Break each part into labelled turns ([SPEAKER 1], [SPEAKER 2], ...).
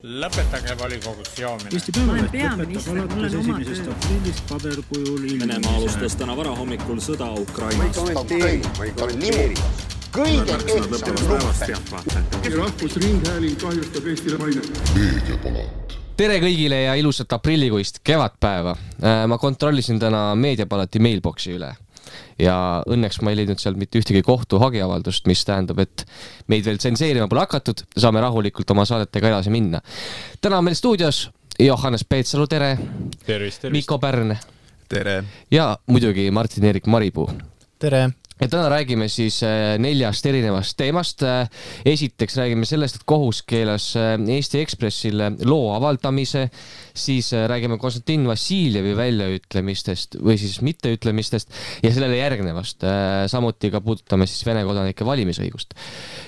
[SPEAKER 1] Lõpetage volikogus joomine.
[SPEAKER 2] Eesti Päevaleht lõpetab alates 1. aprillist paberkujul
[SPEAKER 3] Venemaa alustas täna varahommikul sõda Ukrainas.
[SPEAKER 4] Ma ei kommenteeri. Kõige kehtsam luppe.
[SPEAKER 2] Rahvusringhääling kahjustab Eestile maine.
[SPEAKER 5] Meediapalat. Tere kõigile ja ilusat aprillikuist kevadpäeva. Ma kontrollisin täna Meediapalati mailboxi üle. Ja õnneks ma ei leidnud sealt mitte ühtegi kohtuhagiavaldust, mis tähendab, et meid veel tsenseerima pole hakatud, saame rahulikult oma saadetega edasi minna. Täna on meil stuudios Johannes Peetsalu, tere.
[SPEAKER 1] Tervist.
[SPEAKER 5] Mikko Pärn.
[SPEAKER 6] Tere.
[SPEAKER 5] Ja muidugi Martin-Erik Maripuu.
[SPEAKER 7] Tere.
[SPEAKER 5] Ja täna räägime siis 4 erinevast teemast. Esiteks räägime sellest, et kohus keelas Eesti Ekspressile loo avaldamise, siis räägime Konstantin Vassiljevi väljaütlemistest või siis mitteütlemistest ja sellele järgnevast. Samuti ka puudutame siis Vene kodanike valimisõigust.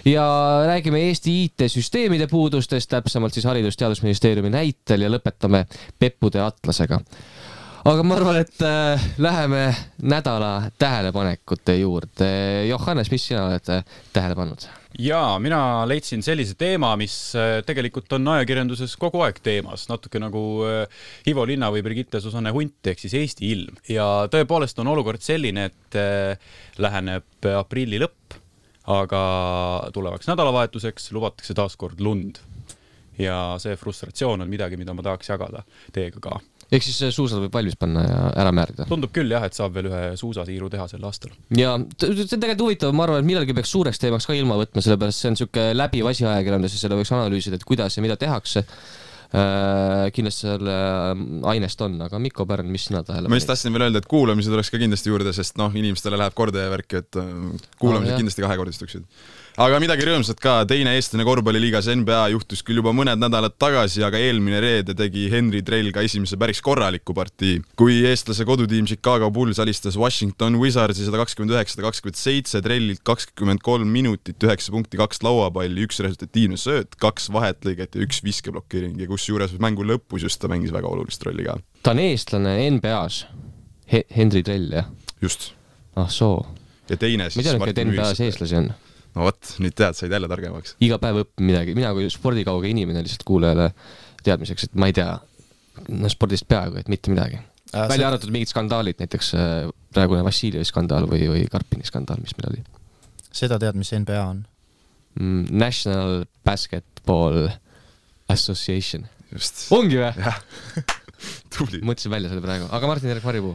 [SPEAKER 5] Ja räägime Eesti IT-süsteemide puudustest, täpsemalt siis Haridus- ja Teadusministeeriumi näitel ja lõpetame Peppude atlasega. Aga ma arvan, et läheme nädala tähelepanekute juurde. Johannes, mis sina oled tähele pannud?
[SPEAKER 1] Jaa, mina leidsin sellise teema, mis tegelikult on ajakirjanduses kogu aeg teemas. Natuke nagu Ivo Linna või Brigitte Susanne Hunt ehk siis Eesti ilm. Ja tõepoolest on olukord selline, et läheneb aprilli lõpp, aga tulevaks nädalavahetuseks lubatakse taas kord lund. Ja see frustratsioon on midagi, mida ma tahaks jagada teiega ka.
[SPEAKER 5] Ehk siis suusad võib valmis panna ja ära määrida.
[SPEAKER 1] Tundub küll jah, et saab veel ühe suusatiiru teha sel aastal.
[SPEAKER 5] Ja see on tegelikult huvitav, ma arvan, et millalgi peaks suureks teemaks ka ilma võtma, sellepärast see on niisugune läbiv asi ajakirjandus ja selle võiks analüüsida, et kuidas ja mida tehakse. Kindlasti selle ainest on, aga Mikko Pärn, mis sina tähele
[SPEAKER 6] panid? Ma just tahtsin veel öelda, et kuulamised oleks ka kindlasti juurde, sest inimestele läheb korda ja värki, et kuulamised kindlasti kahekordistuksid. Aga midagi rõõmsat ka, teine eestlane korvpalliliigas NBA juhtus küll juba mõned nädalad tagasi, aga eelmine reede tegi Henry Drell ka esimese päris korraliku partii. Kui eestlase kodutiim Chicago Bulls alistas Washington Wizardsi 129-127, Drellilt 23 minutit, 9 punkti, 2 lauapalli, 1 resultatiivne sööt, 2 vahetlõiget ja 1 viskeblokeering ja kus juures mängu lõpus just ta mängis väga olulist rolli ka.
[SPEAKER 5] Ta on eestlane NBA-s. Henry Drell, jah?
[SPEAKER 6] Just.
[SPEAKER 5] Soo.
[SPEAKER 6] Ja teine siis...
[SPEAKER 5] Ma tean, et NBA-s eestlasi on.
[SPEAKER 6] No võt, nüüd tead, said jälle targemaks.
[SPEAKER 5] Iga päev õppin midagi. Mina kui spordikauge inimene lihtsalt kuulajale teadmiseks, et ma ei tea spordist peaaegu, et mitte midagi. Välja arvatud mingid skandaalid, näiteks praegune Vassiljevi skandaal või Karpini skandaal, mis meil oli.
[SPEAKER 7] Seda tead, mis NBA on?
[SPEAKER 5] National Basketball Association.
[SPEAKER 6] Just.
[SPEAKER 5] Ongi või?
[SPEAKER 6] Jah. Tubli.
[SPEAKER 5] Mõtlesin välja selle praegu. Aga Martin-Erik Maripuu?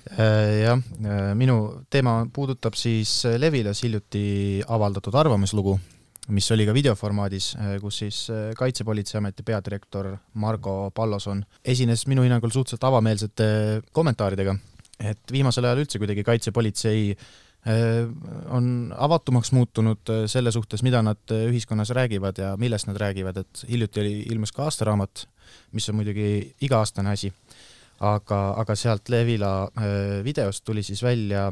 [SPEAKER 7] Jah, minu teema puudutab siis Levilas hiljuti avaldatud arvamuslugu, mis oli ka videoformaadis, kus siis Kaitsepolitseiameti peadirektor Margo Palloson esines minu hinnangul suhteliselt avameelsete kommentaaridega, et viimasel ajal üldse kuidagi Kaitsepolitsei on avatumaks muutunud selle suhtes, mida nad ühiskonnas räägivad ja millest nad räägivad, et hiljuti oli ilmus ka aastaraamat, mis on muidugi iga-aastane asi. Aga sealt Levila videost tuli siis välja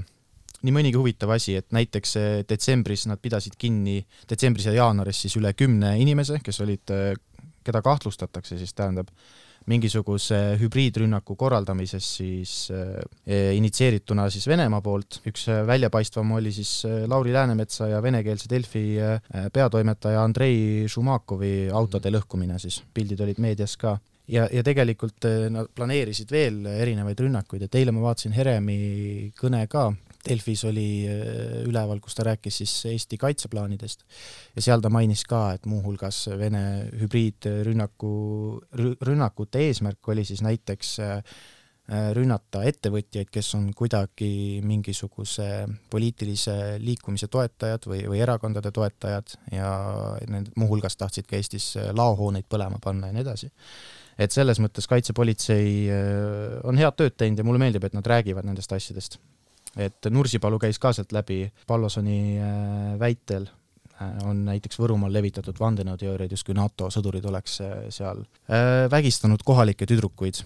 [SPEAKER 7] nii mõnigi huvitav asi, et näiteks detsembris nad pidasid kinni, detsembris ja jaanuaris siis üle 10 inimese, kes olid, keda kahtlustatakse, siis tähendab mingisuguse hübriidrünnaku korraldamises siis initsieerituna siis Venemaa poolt. Üks väljapaistvam oli siis Lauri Läänemetsa ja venekeelse Delfi peatoimetaja Andrei Šumakovi autode lõhkumine siis. Pildid olid meedias ka. Ja tegelikult nad planeerisid veel erinevaid rünnakuid, et eile ma vaatasin Heremi kõne ka. Delfis oli üleval, kus ta rääkis siis Eesti kaitseplaanidest ja seal ta mainis ka, et muuhulgas Vene hübriidrünnakute eesmärk oli siis näiteks rünnata ettevõtjaid, kes on kuidagi mingisuguse poliitilise liikumise toetajad või erakondade toetajad ja muuhulgas tahtsid ka Eestis laohooneid põlema panna ja nii edasi. Et selles mõttes Kaitsepolitsei on head tööd teinud ja mulle meeldib, et nad räägivad nendest asjadest. Et Nursipalu käis ka sealt läbi Pallosoni väitel on näiteks Võrumaal levitatud vandenõuteooriaid, just kui NATO sõdurid oleks seal vägistanud kohalikke tüdrukuid,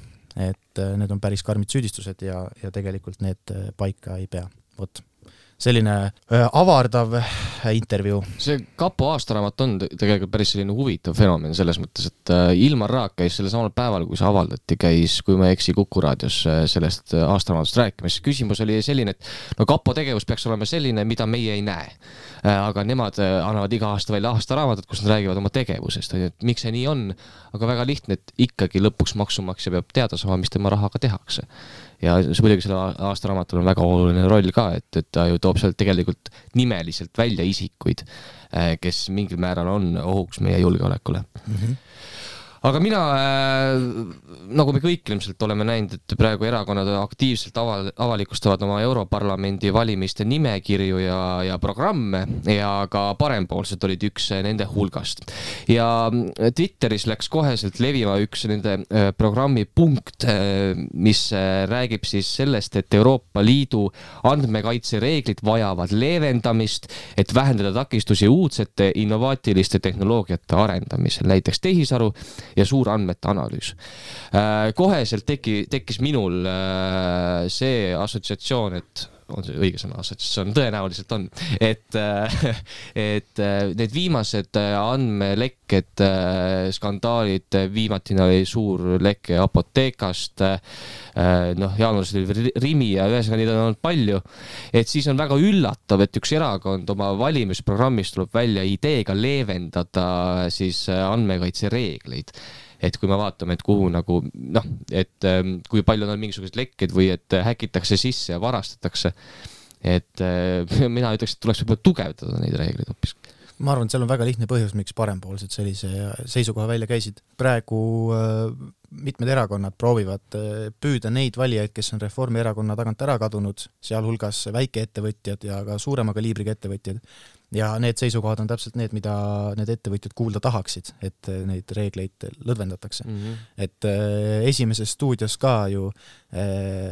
[SPEAKER 7] et need on päris karmid süüdistused ja tegelikult need paika ei pea. Selline avardav intervjuu.
[SPEAKER 5] See kapo aastaraamat on tegelikult päris selline huvitav fenomen selles mõttes, et Ilmar Raag käis selle samal päeval, kui see avaldati, kui ma ei eksi Kuku raadios sellest aastaraamatust rääkimas. Küsimus oli selline, et no kapo tegevus peaks olema selline, mida meie ei näe. Aga nemad annavad iga aasta välja aastaraamatut, kus nad räägivad oma tegevusest. Et miks see nii on? Aga väga lihtne, et ikkagi lõpuks maksumaksja peab teada saama, mis tema rahaga tehakse. Ja see muidugi selle aastaraamatul on väga oluline roll ka, et ta ju toob sealt tegelikult nimeliselt välja isikuid, kes mingil määral on ohuks meie julgeolekule. Aga mina, nagu me kõik ilmselt oleme näinud, et praegu erakonnad aktiivselt avalikustavad oma Europarlamendi valimiste nimekirju ja programme ja ka parempoolsed olid üks nende hulgast. Ja Twitteris läks koheselt levima üks nende programmi punkt, mis räägib siis sellest, et Euroopa Liidu andmekaitsereeglid vajavad leevendamist, et vähendada takistusi uudsete innovaatiliste tehnoloogiate arendamisel, näiteks tehisaru ja suurandmete analüüs. Koheselt tekkis minul see assotsiatsioon, et on see õige sõna assotsiatsioon, tõenäoliselt on, et need viimased andmelekked, skandaalid, viimatina oli suur leke Apotekast, jaanuaris oli Rimi ja ühesõnaga neid on olnud palju, et siis on väga üllatav, et üks erakond oma valimisprogrammist tuleb välja ideega leevendada siis andmekaitsereegleid. Et kui me vaatame, et kuhu nagu, et kui palju on mingisugused lekked või et häkitakse sisse ja varastatakse, et mina ütleks, et tuleks võib-olla tugevdada neid reegleid hoopis.
[SPEAKER 7] Ma arvan, et seal on väga lihtne põhjus, miks parempoolsed sellise seisukoha välja käisid. Praegu mitmed erakonnad proovivad püüda neid valijaid, kes on Reformierakonna tagant ära kadunud, sealhulgas väikeettevõtjad ja ka suurema kaliibriga ettevõtjad. Ja need seisukohad on täpselt need, mida need ettevõtjad kuulda tahaksid, et neid reegleid lõdvendatakse. Et esimeses stuudios ka ju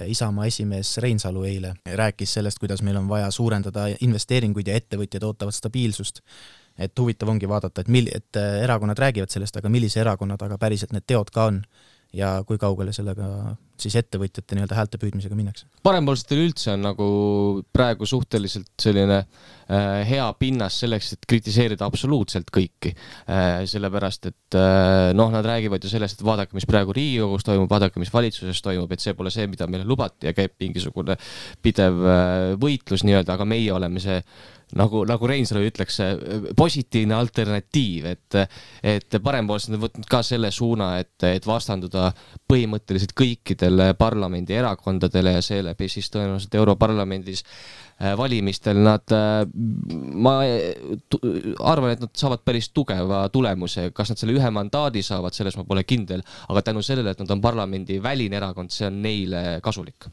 [SPEAKER 7] Isamaa esimees Reinsalu eile rääkis sellest, kuidas meil on vaja suurendada investeeringuid ja ettevõtjad ootavad stabiilsust. Et huvitav ongi vaadata, et erakonnad räägivad sellest, aga millise erakonnad, aga päriselt need teod ka on ja kui kaugele sellega siis ettevõtjate nii-öelda häälte püüdmisega minnakse.
[SPEAKER 5] Parempoolsetel üldse on nagu praegu suhteliselt selline hea pinnas selleks, et kritiseerida absoluutselt kõiki. Sellepärast, et nad räägivad ju sellest, et vaadake, mis praegu Riigikogus toimub, vaadake, mis valitsuses toimub, et see pole see, mida meile lubati ja käib mingisugune pidev võitlus nii-öelda, aga meie oleme see nagu Reinsalu ütleks, positiivne alternatiiv, et parempoolsed on võtnud ka selle suuna, et vastanduda põhimõtteliselt kõikidele parlamendi erakondadele ja seeläbi siis tõenäoliselt Europarlamendis valimistel ma arvan, et nad saavad päris tugeva tulemuse. Kas nad selle ühe mandaadi saavad, selles ma pole kindel, aga tänu sellele, et nad on parlamendi väline erakond, see on neile kasulik.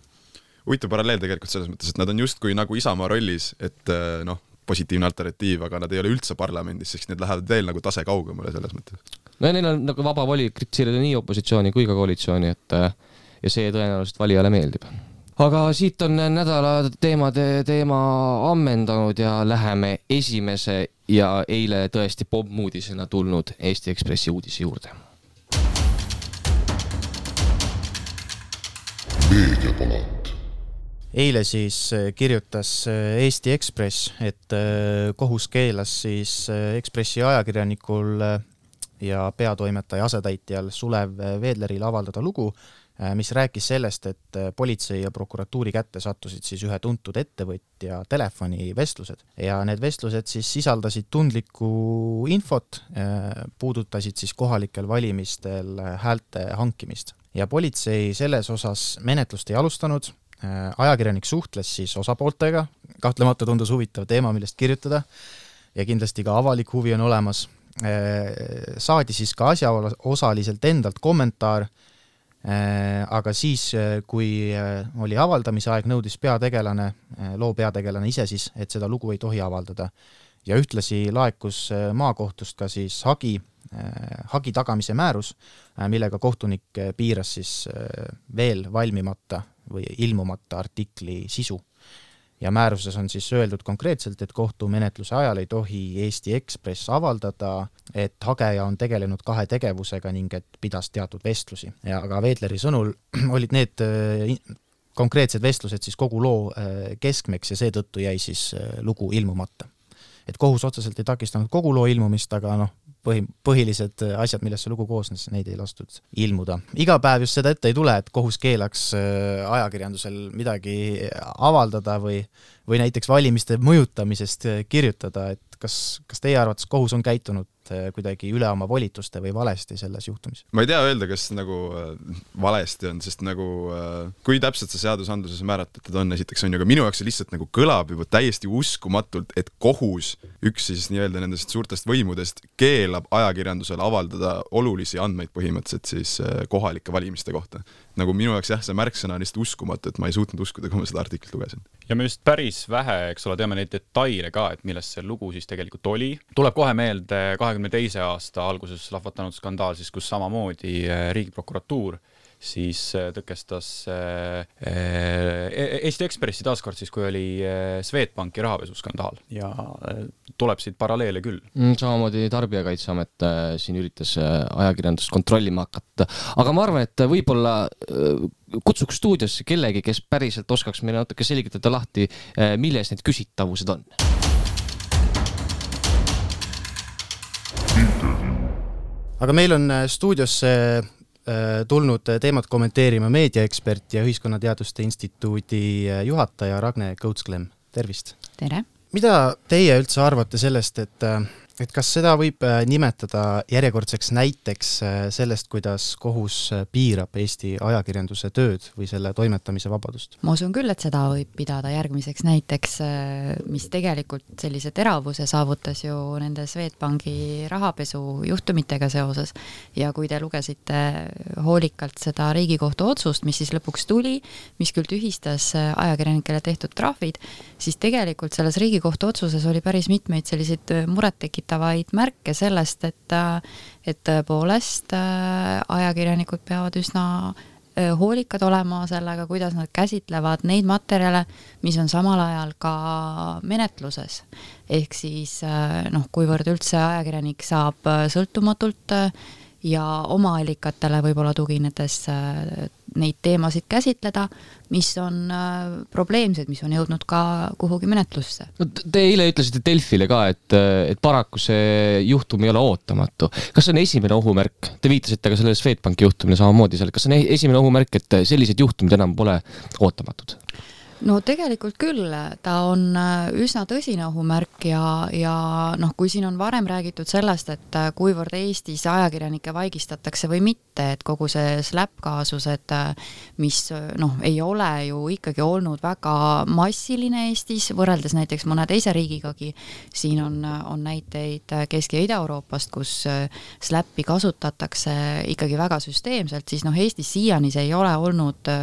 [SPEAKER 6] Huvitav paralleel tegelikult selles mõttes, et nad on justkui nagu Isamaa rollis, et positiivne alternatiiv, aga nad ei ole üldse parlamendis, sest need lähevad veel nagu tase kaugemale selles mõttes.
[SPEAKER 5] No ja neil on nagu vaba voli kritiseerida nii opositsiooni kui ka koalitsiooni, ja see tõenäoliselt valijale meeldib. Aga siit on nädala teema ammendanud ja läheme esimese ja eile tõesti pommuudisena tulnud Eesti Ekspressi uudise juurde.
[SPEAKER 7] Meediapalat. Eile siis kirjutas Eesti Ekspress, et kohus keelas siis Ekspressi ajakirjanikul ja peatoimetaja asetäitjal Sulev Veedleril avaldada lugu, mis rääkis sellest, et politsei ja prokuratuuri kätte sattusid siis ühe tuntud ettevõtja telefonivestlused. Ja need vestlused siis sisaldasid tundlikku infot, puudutasid siis kohalikel valimistel häälte hankimist. Ja politsei selles osas menetlust ei alustanud, ajakirjanik suhtles siis osapooltega, kahtlemata tundus huvitav teema, millest kirjutada ja kindlasti ka avalik huvi on olemas. Saadi siis ka asjaosaliselt endalt kommentaar, aga siis, kui oli avaldamise aeg, nõudis loo peategelane ise siis, et seda lugu ei tohi avaldada. Ja ühtlasi laekus maakohtust ka siis hagi tagamise määrus, millega kohtunik piiras siis veel valmimata või ilmumata artikli sisu. Ja määruses on siis öeldud konkreetselt, et kohtumenetluse ajal ei tohi Eesti Ekspress avaldada, et hageja on tegelenud 2 tegevusega ning et pidas teatud vestlusi. Ja aga Veedleri sõnul olid need konkreetsed vestlused siis kogu loo keskmeks ja seetõttu jäi siis lugu ilmumata. et kohus otseselt ei takistanud kogu loo ilmumist, aga noh, põhilised asjad, millest see lugu koosnes, neid ei lastud ilmuda. Iga päev just seda ette ei tule, et kohus keelaks ajakirjandusel midagi avaldada või näiteks valimiste mõjutamisest kirjutada, et kas teie arvates kohus on käitunud kuidagi üle oma volituste või valesti selles juhtumis?
[SPEAKER 6] Ma ei tea öelda, kas nagu valesti on, sest nagu kui täpselt see seadusandluses määratletud on, esiteks on ju, aga minu jaoks see lihtsalt nagu kõlab juba täiesti uskumatult, et kohus, üks siis nii-öelda nendest suurtest võimudest, keelab ajakirjandusele avaldada olulisi andmeid põhimõtteliselt siis kohalike valimiste kohta. Nagu minu jaoks jah, see märksõna on lihtsalt uskumatu, et ma ei suutnud uskuda, kui ma seda artiklit lugesin.
[SPEAKER 1] Ja me just päris vähe, eks ole, teame neid detaile ka, et millest see lugu siis tegelikult oli. Tuleb kohe meelde 22. aasta alguses lahvatanud skandaal, siis kus samamoodi Riigiprokuratuur siis tõkestas Eesti Ekspressi taaskord siis, kui oli Swedbanki rahapesuskandaal ja tuleb siit paralleele küll.
[SPEAKER 5] Samamoodi Tarbijakaitseamet siin üritas ajakirjandust kontrollima hakata, aga ma arvan, et võib-olla kutsuks stuudiosse kellegi, kes päriselt oskaks meile natuke selgitada lahti, milles need küsitavused on.
[SPEAKER 7] Aga meil on stuudiosse tulnud teemat kommenteerima meediaekspert ja Ühiskonnateaduste Instituudi juhataja Ragne Kõutsklem. Tervist!
[SPEAKER 8] Tere!
[SPEAKER 7] Mida teie üldse arvate sellest, et kas seda võib nimetada järjekordseks näiteks sellest, kuidas kohus piirab Eesti ajakirjanduse tööd või selle toimetamise vabadust?
[SPEAKER 8] Ma usun küll, et seda võib pidada järgmiseks näiteks, mis tegelikult sellise teravuse saavutas ju nende Swedbanki rahapesu juhtumitega seoses. Ja kui te lugesite hoolikalt seda Riigikohtu otsust, mis siis lõpuks tuli, mis küll tühistas ajakirjanikele tehtud trahvid, siis tegelikult selles Riigikohtu otsuses oli päris mitmeid selliseid murettekitavaid märke sellest, et tõepoolest ajakirjanikud peavad üsna hoolikad olema sellega, kuidas nad käsitlevad neid materjale, mis on samal ajal ka menetluses. Ehk siis, kuivõrd üldse ajakirjanik saab sõltumatult ja oma allikatele võib-olla tuginedes neid teemasid käsitleda, mis on probleemsed, mis on jõudnud ka kuhugi menetlusse.
[SPEAKER 5] No, te eile ütlesite Delfile ka, et paraku see juhtum ei ole ootamatu. Kas on esimene ohumärk? Te viitasite ka selle Swedbanki juhtumine samamoodi seal. Kas on esimene ohumärk, et sellised juhtumid enam pole ootamatud?
[SPEAKER 8] No tegelikult küll, ta on üsna tõsine ohumärk ja kui siin on varem räägitud sellest, et kuivõrd Eestis ajakirjanikke vaigistatakse või mitte, et kogu see SLAP-kaasused, mis ei ole ju ikkagi olnud väga massiline Eestis, võrreldes näiteks mõne teise riigigagi, siin on näiteid Kesk- ja Ida-Euroopast, kus SLAP-i kasutatakse ikkagi väga süsteemselt, siis Eestis siiani see ei ole olnud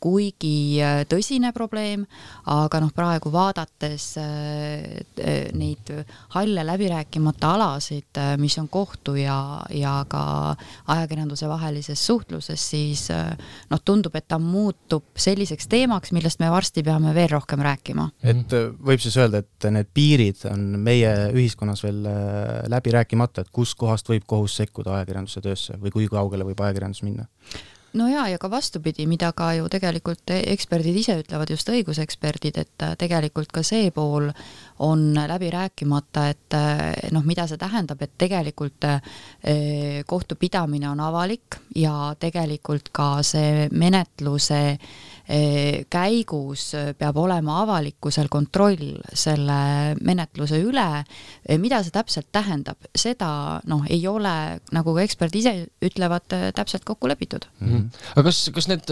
[SPEAKER 8] kuigi tõsine probleem, aga praegu vaadates neid halle läbirääkimata alasid, mis on kohtu ja ka ajakirjanduse vahelises suhtluses, siis tundub, et ta muutub selliseks teemaks, millest me varsti peame veel rohkem rääkima.
[SPEAKER 7] Et võib siis öelda, et need piirid on meie ühiskonnas veel läbi rääkimata, et kus kohast võib kohus sekkuda ajakirjanduse töösse või kui kaugele võib ajakirjandus minna?
[SPEAKER 8] No ja ka vastupidi, mida ka ju tegelikult eksperdid ise ütlevad, just õiguseksperdid, et tegelikult ka see pool on läbi rääkimata, et mida see tähendab, et tegelikult kohtupidamine on avalik ja tegelikult ka see menetluse käigus peab olema avalikkusel kontroll selle menetluse üle. Mida see täpselt tähendab? Seda ei ole, nagu eksperdid ise ütlevad, täpselt kokku lepitud.
[SPEAKER 5] Aga kas need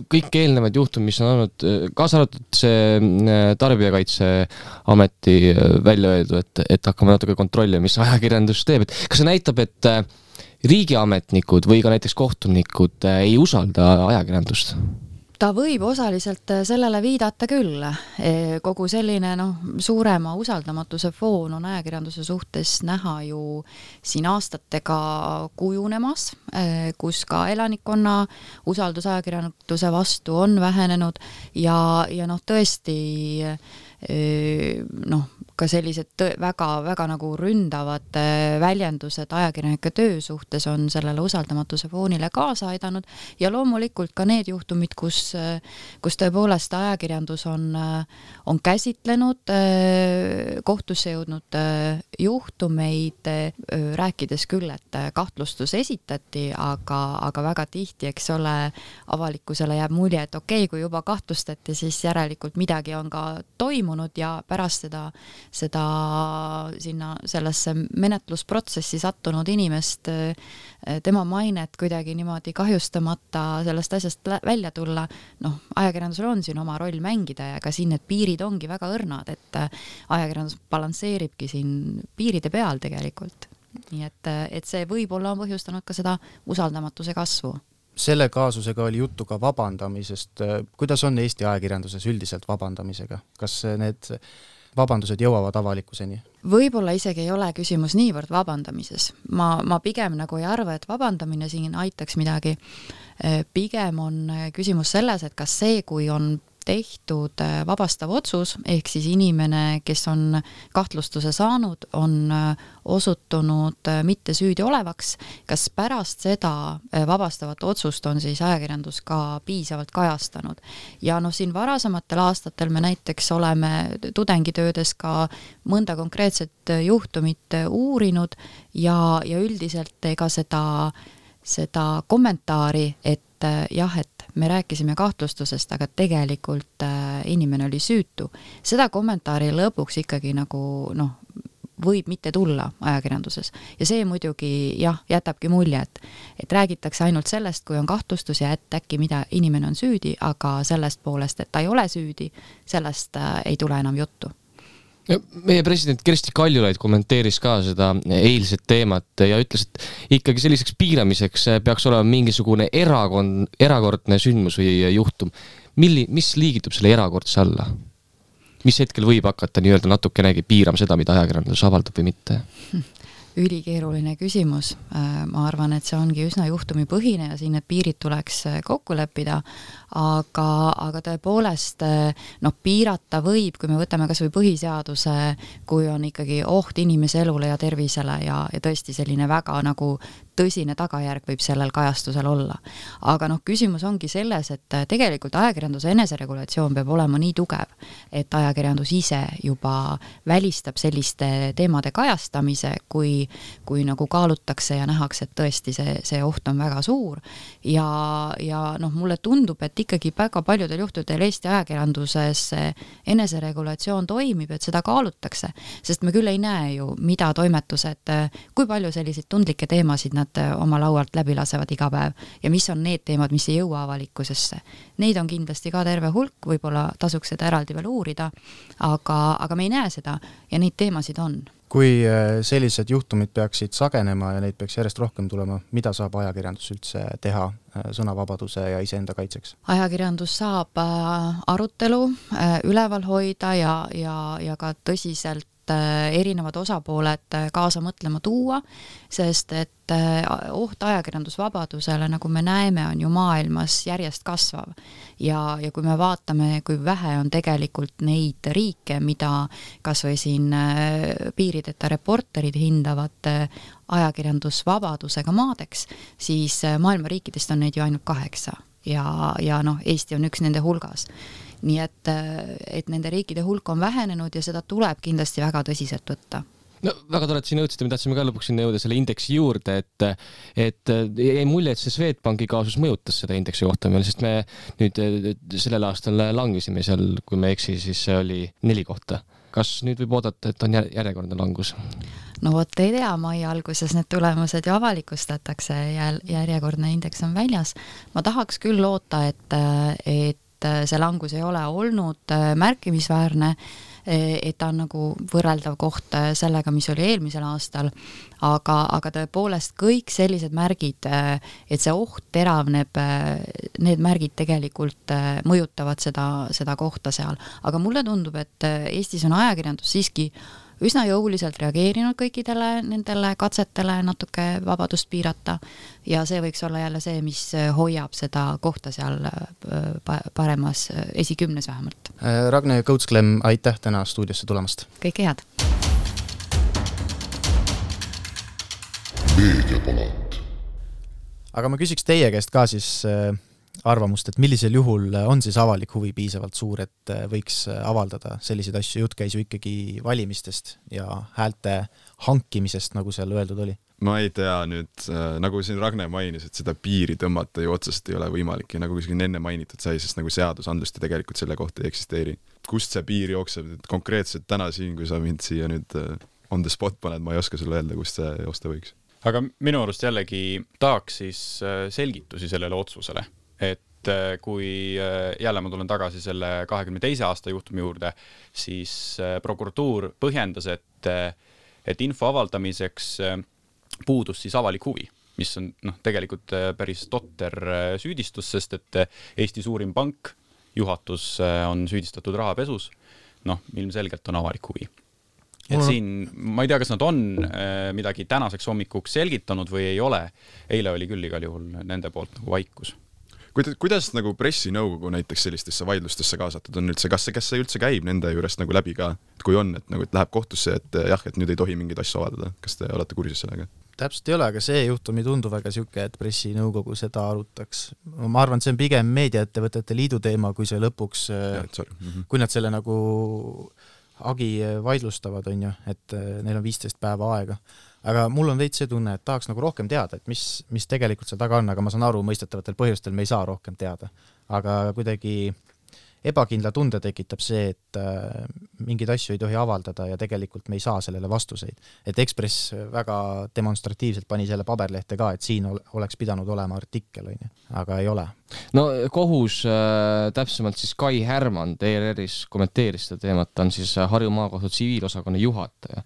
[SPEAKER 5] kõik eelnevad juhtumid, mis on olnud, kaasa arvatud see Tarbijakaitseameti välja öeldu, et hakkame natuke kontrollima, mis ajakirjandus teeb, et kas see näitab, et riigiametnikud või ka näiteks kohtunikud ei usalda ajakirjandust?
[SPEAKER 8] Ta võib osaliselt sellele viidata küll. Kogu selline suurema usaldamatuse foon on ajakirjanduse suhtes näha ju siin aastatega kujunemas, kus ka elanikkonna usaldus ajakirjanduse vastu on vähenenud ja tõesti ka sellised väga nagu ründavad väljendused ajakirjanike töö suhtes on sellele usaldamatuse foonile kaasa aidanud ja loomulikult ka need juhtumid, kus tõepoolest ajakirjandus on käsitlenud kohtusse jõudnud juhtumeid, rääkides küll, et kahtlustus esitati, aga väga tihti, eks ole, avalikkusele jääb mulje, et okei, kui juba kahtlustati, siis järelikult midagi on ka toimunud ja pärast seda sinna sellesse menetlusprotsessi sattunud inimest, tema mainet kuidagi niimoodi kahjustamata sellest asjast välja tulla, ajakirjandusel on siin oma roll mängida ja ka siin need piirid ongi väga õrnad, et ajakirjandus balansseeribki siin piiride peal tegelikult. Nii et see võib-olla on põhjustanud ka seda usaldamatuse kasvu.
[SPEAKER 7] Selle kaasusega oli juttu ka vabandamisest. Kuidas on Eesti ajakirjanduses üldiselt vabandamisega? Kas need vabandused jõuavad avalikkuseni?
[SPEAKER 8] Võib-olla isegi ei ole küsimus niivõrd vabandamises. Ma pigem nagu ei arva, et vabandamine siin aitaks midagi. Pigem on küsimus selles, et kas see, kui on tehtud vabastav otsus, ehk siis inimene, kes on kahtlustuse saanud, on osutunud mitte süüdi olevaks, kas pärast seda vabastavat otsust on siis ajakirjandus ka piisavalt kajastanud. Ja siin varasematel aastatel me näiteks oleme tudengitöödes ka mõnda konkreetset juhtumit uurinud ja üldiselt ega seda kommentaari, et jah, et me rääkisime kahtlustusest, aga tegelikult inimene oli süütu. Seda kommentaari lõpuks ikkagi nagu võib mitte tulla ajakirjanduses. Ja see muidugi jätabki mulje, et räägitakse ainult sellest, kui on kahtlustus ja et äkki mida inimene on süüdi, aga sellest poolest, et ta ei ole süüdi, sellest ei tule enam juttu.
[SPEAKER 5] Meie president Kersti Kaljulaid kommenteeris ka seda eilset teemat ja ütles, et ikkagi selliseks piiramiseks peaks olema mingisugune erakordne sündmus või juhtum. Mis liigitub selle erakordse alla? Mis hetkel võib hakata nii-öelda natukenegi piirama seda, mida ajakirjandus avaldab või mitte?
[SPEAKER 8] Ülikeeruline küsimus. Ma arvan, et see ongi üsna juhtumipõhine ja siin need piirid tuleks kokku leppida, aga tõepoolest piirata võib, kui me võtame kas või põhiseaduse, kui on ikkagi oht inimese elule ja tervisele ja tõesti selline väga nagu tõsine tagajärg võib sellel kajastusel olla. Aga küsimus ongi selles, et tegelikult ajakirjanduse eneseregulatsioon peab olema nii tugev, et ajakirjandus ise juba välistab selliste teemade kajastamise, kui nagu kaalutakse ja nähakse, et tõesti see oht on väga suur. Ja mulle tundub, et ikkagi väga paljudel juhtudel Eesti ajakirjanduses eneseregulatsioon toimib, et seda kaalutakse, sest me küll ei näe ju, mida toimetused, kui palju selliseid tundlikke teemasid nad oma laualt läbi lasevad iga päev ja mis on need teemad, mis ei jõua avalikkusesse. Neid on kindlasti ka terve hulk, võib-olla tasuks seda eraldi veel uurida, aga me ei näe seda ja neid teemasid on.
[SPEAKER 7] Kui sellised juhtumid peaksid sagenema ja neid peaks järjest rohkem tulema, mida saab ajakirjandus üldse teha sõnavabaduse ja iseenda kaitseks? Ajakirjandus
[SPEAKER 8] saab arutelu üleval hoida ja ka tõsiselt erinevad osapooled kaasa mõtlema tuua, sest et oht ajakirjandusvabadusele, nagu me näeme, on ju maailmas järjest kasvav. Ja kui me vaatame, kui vähe on tegelikult neid riike, mida kas või siin piirideta reporterid hindavad ajakirjandusvabadusega maadeks, siis maailma riikidest on neid ju ainult 8 ja Eesti on üks nende hulgas. Nii et nende riikide hulk on vähenenud ja seda tuleb kindlasti väga tõsiselt võtta.
[SPEAKER 5] Väga tore, et siin jõudsite, me tahtsime ka lõpuks sinna jõuda selle indeksi juurde, et jäi mulje, et see Swedbanki kaasus mõjutas seda indeksi kohta meil, sest me nüüd sellel aastal langesime seal, kui me eksi, siis see oli 4 kohta. Kas nüüd võib oodata, et on järjekordne langus?
[SPEAKER 8] Vot ei tea, mai alguses need tulemused ju avalikustatakse ja järjekordne indeks on väljas. Ma tahaks küll loota, et see langus ei ole olnud märkimisväärne, et ta on nagu võrreldav koht sellega, mis oli eelmisel aastal, aga tõepoolest kõik sellised märgid, et see oht teravneb, need märgid tegelikult mõjutavad seda kohta seal. Aga mulle tundub, et Eestis on ajakirjandus siiski üsna jõuliselt reageerinud kõikidele nendele katsetele natuke vabadust piirata ja see võiks olla jälle see, mis hoiab seda kohta seal paremas esikümnes vähemalt.
[SPEAKER 7] Ragne Kõuts-Klemm, aitäh täna stuudiosse tulemast!
[SPEAKER 8] Kõike head!
[SPEAKER 9] Meediapalat.
[SPEAKER 7] Aga ma küsiks teie käest ka siis arvamust, et millisel juhul on siis avalik huvi piisavalt suur, et võiks avaldada selliseid asju, jutt käis ju ikkagi valimistest ja häälte hankimisest, nagu seal öeldud oli?
[SPEAKER 6] Ma ei tea nüüd, nagu siin Ragne mainis, et seda piiri tõmmata ju otsest ei ole võimalik ja nagu siin enne mainitud sai, sest nagu seadusandlust ja tegelikult selle kohta ei eksisteeri. Kust see piir jookseb, et konkreetselt täna siin, kui sa mind siia nüüd on the spot paned, ma ei oska sulle öelda, kust see joosta võiks.
[SPEAKER 1] Aga minu arust jällegi tahaks siis selgitusi sellele otsusele, et kui jälle ma tulen tagasi selle 22. aasta juhtumi juurde, siis prokuratuur põhjendas, et info avaldamiseks puudus siis avalik huvi, mis on tegelikult päris totter süüdistus, sest et Eesti suurim pank, juhatus on süüdistatud rahapesus, ilmselgelt on avalik huvi. Et siin, ma ei tea, kas nad on midagi tänaseks hommikuks selgitanud või ei ole. Eile oli küll igal juhul nende poolt nagu vaikus.
[SPEAKER 6] Kuidas nagu pressinõukogu näiteks sellistesse vaidlustesse kaasatud on üldse? Kas see üldse käib nende juurest nagu läbi ka? Et kui on, et läheb kohtusse, et jah, et nüüd ei tohi mingeid asju avaldada. Kas te olete kursis sellega?
[SPEAKER 7] Täpselt ei ole, aga see juhtum ei tundu väga siuke, et pressinõukogu seda arutaks. Ma arvan, et see on pigem meediaettevõtete liidu teema, kui see lõpuks, kui nad selle nagu agi vaidlustavad, on ju, et neil on 15 päeva aega. Aga mul on veits see tunne, et tahaks nagu rohkem teada, et mis tegelikult seal taga on, aga ma saan aru, mõistetavatel põhjustel me ei saa rohkem teada. Aga kuidagi ebakindla tunde tekitab see, et mingeid asju ei tohi avaldada ja tegelikult me ei saa sellele vastuseid. Et Ekspress väga demonstratiivselt pani selle paberlehte ka, et siin oleks pidanud olema artikkel, aga ei ole.
[SPEAKER 5] No kohus, täpsemalt siis Kai Härman ERR-is kommenteeris seda teemat, ta on siis Harju maakohtu tsiviilosakonna juhataja.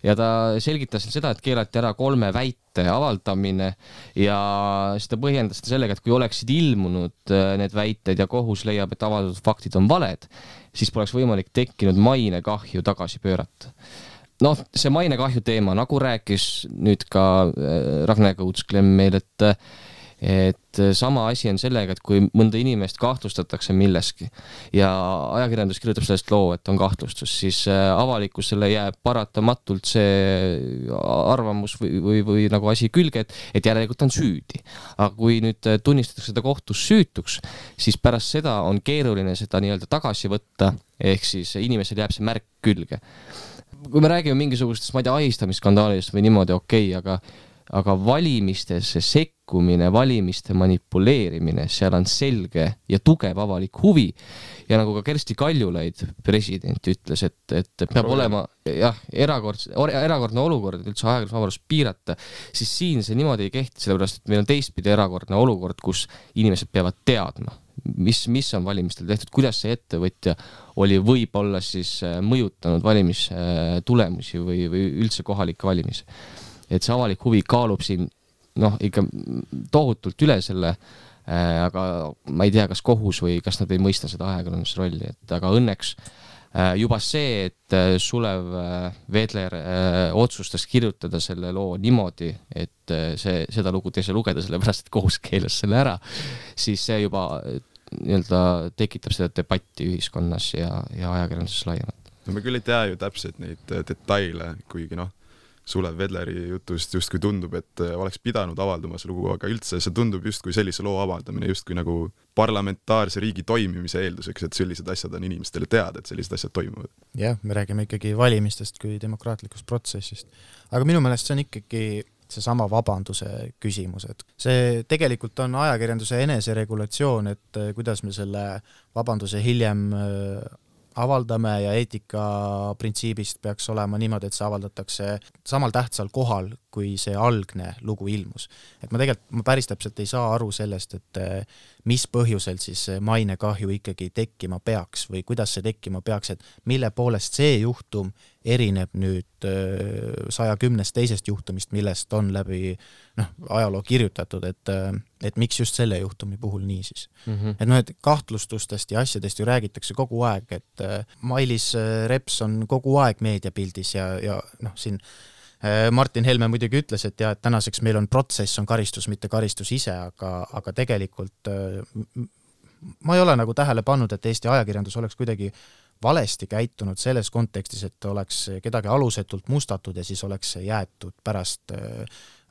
[SPEAKER 5] Ja ta selgitas seda, et keelati ära 3 väite avaldamine ja seda põhjendas sellega, et kui oleksid ilmunud need väited ja kohus leiab, et avaldatud faktid on valed, siis poleks võimalik tekkinud mainekahju tagasi pöörata. See mainekahju teema, nagu rääkis nüüd ka Ragne Kõuts-Klemm meil, et sama asi on sellega, et kui mõnda inimest kahtlustatakse milleski ja ajakirjandus kirjutab sellest loo, et on kahtlustus, siis avalikkusele jääb paratamatult see arvamus või nagu asi külge, et järelikult on süüdi. Aga kui nüüd tunnistatakse seda kohtus süütuks, siis pärast seda on keeruline seda nii-öelda tagasi võtta, ehk siis inimesel jääb see märk külge. Kui me räägime mingisugustest, ma ei tea, ahistamisskandaalidest või niimoodi okei, aga valimistesse sekkumine, valimiste manipuleerimine, seal on selge ja tugev avalik huvi. Ja nagu ka Kersti Kaljulaid, president, ütles, et peab olema erakordne olukord, et üldse ajakirjandusvabadust piirata, siis siin see niimoodi ei kehti, sellepärast, et meil on teistpidi erakordne olukord, kus inimesed peavad teadma, mis on valimistel tehtud, kuidas see ettevõtja oli võib-olla siis mõjutanud valimistulemusi või üldse kohalikke valimisi. Et see avalik huvi kaalub siin ikka tohutult üle selle, aga ma ei tea, kas kohus või kas nad ei mõista seda ajakirjanduse rolli, aga õnneks juba see, et Sulev Vedler otsustas kirjutada selle loo niimoodi, et seda lugu ei saa lugeda, sellepärast et kohus keelas selle ära, siis see juba tekitab seda debatti ühiskonnas ja ajakirjanduses laiemalt.
[SPEAKER 6] Me küll ei tea ju täpselt neid detaile, kuigi Sulev Vedleri jutust justkui tundub, et oleks pidanud avaldama see lugu, aga üldse see tundub justkui sellise loo avaldamine justkui nagu parlamentaarse riigi toimimise eelduseks, et sellised asjad on inimestele teada, et sellised asjad toimuvad.
[SPEAKER 7] Jah, me räägime ikkagi valimistest kui demokraatlikust protsessist. Aga minu meelest see on ikkagi seesama vabanduse küsimus, et see tegelikult on ajakirjanduse eneseregulatsioon, et kuidas me selle vabanduse hiljem avaldame ja eetika printsiibist peaks olema niimoodi, et see avaldatakse samal tähtsal kohal, kui see algne lugu ilmus. Et ma päris täpselt ei saa aru sellest, et mis põhjusel siis mainekahju ikkagi tekkima peaks või kuidas see tekkima peaks, et mille poolest see juhtum erineb nüüd 110 teisest juhtumist, millest on läbi ajaloo kirjutatud, et miks just selle juhtumi puhul nii siis. Et et kahtlustustest ja asjadest ju räägitakse kogu aeg, et Mailis Reps on kogu aeg meediapildis ja siin Martin Helme muidugi ütles, et et tänaseks meil on protsess, on karistus, mitte karistus ise, aga tegelikult ma ei ole nagu tähele pannud, et Eesti ajakirjandus oleks kuidagi valesti käitunud selles kontekstis, et oleks kedagi alusetult mustatud ja siis oleks jäetud pärast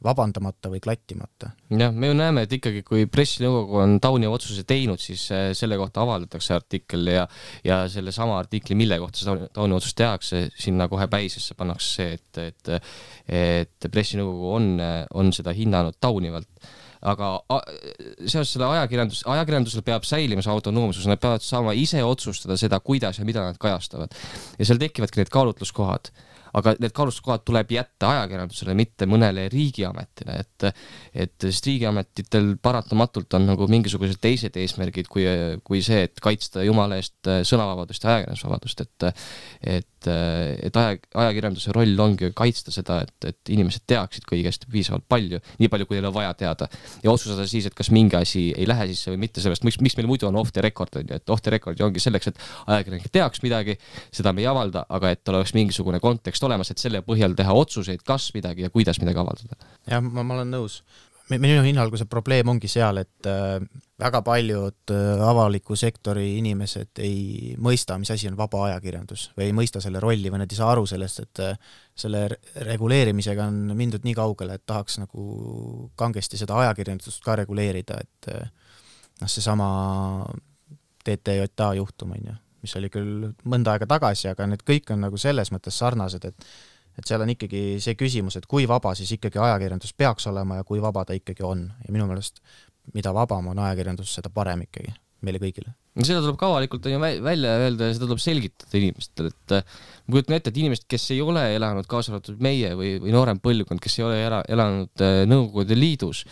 [SPEAKER 7] vabandamata või klattimata.
[SPEAKER 5] Jah, me ju näeme, et ikkagi kui pressinõukogu on tauniva otsuse teinud, siis selle kohta avaldatakse artikkel ja selle sama artikli, mille kohta see tauniva otsus tehakse, sinna kohe päisesse pannakse see, et pressinõukogu on seda hinnanud taunivalt. Aga seoses selle ajakirjandusel peab säilima see autonoomsus, nad peavad saama ise otsustada seda, kuidas ja mida nad kajastavad. Ja seal tekivadki need kaalutluskohad. Aga need kaalutluskohad tuleb jätta ajakirjandusele, mitte mõnele riigiametile, et riigiametitel paratamatult on nagu mingisugused teised eesmärgid kui see, et kaitsta jumala eest sõnavabadust ja ajakirjandusvabadust, et ajakirjanduse roll ongi kaitsta seda, et inimesed teaksid kõigest piisavalt palju, nii palju, kui neil on vaja teada ja otsustada siis, et kas mingi asi ei lähe sisse või mitte sellest, miks meil muidu on off the record, et off the record ongi selleks, et ajakirjanik teaks midagi, seda me ei avalda, aga et tal oleks mingisugune kontekst olemas, et selle põhjal teha otsuseid, kas midagi ja kuidas midagi avaldada.
[SPEAKER 7] Ja ma olen nõus. Minu hinnalgu see probleem ongi seal, et väga paljud avaliku sektori inimesed ei mõista, mis asi on vaba ajakirjandus või ei mõista selle rolli või nad ei saa aru sellest, et selle reguleerimisega on mindud nii kaugele, et tahaks nagu kangesti seda ajakirjandust ka reguleerida, et seesama TTJA juhtum, mis oli küll mõnda aega tagasi, aga need kõik on nagu selles mõttes sarnased, et seal on ikkagi see küsimus, et kui vaba siis ikkagi ajakirjandus peaks olema ja kui vaba ta ikkagi on. Ja minu meelest, mida vabam on ajakirjandus, seda parem ikkagi meile kõigile.
[SPEAKER 5] Seda tuleb ka avalikult välja öelda ja seda tuleb selgitada inimestele, et ma kujutan ette, et inimesed, kes ei ole elanud kaasa arvatud meie või noorem põlvkond, kes ei ole elanud Nõukogude Liidus,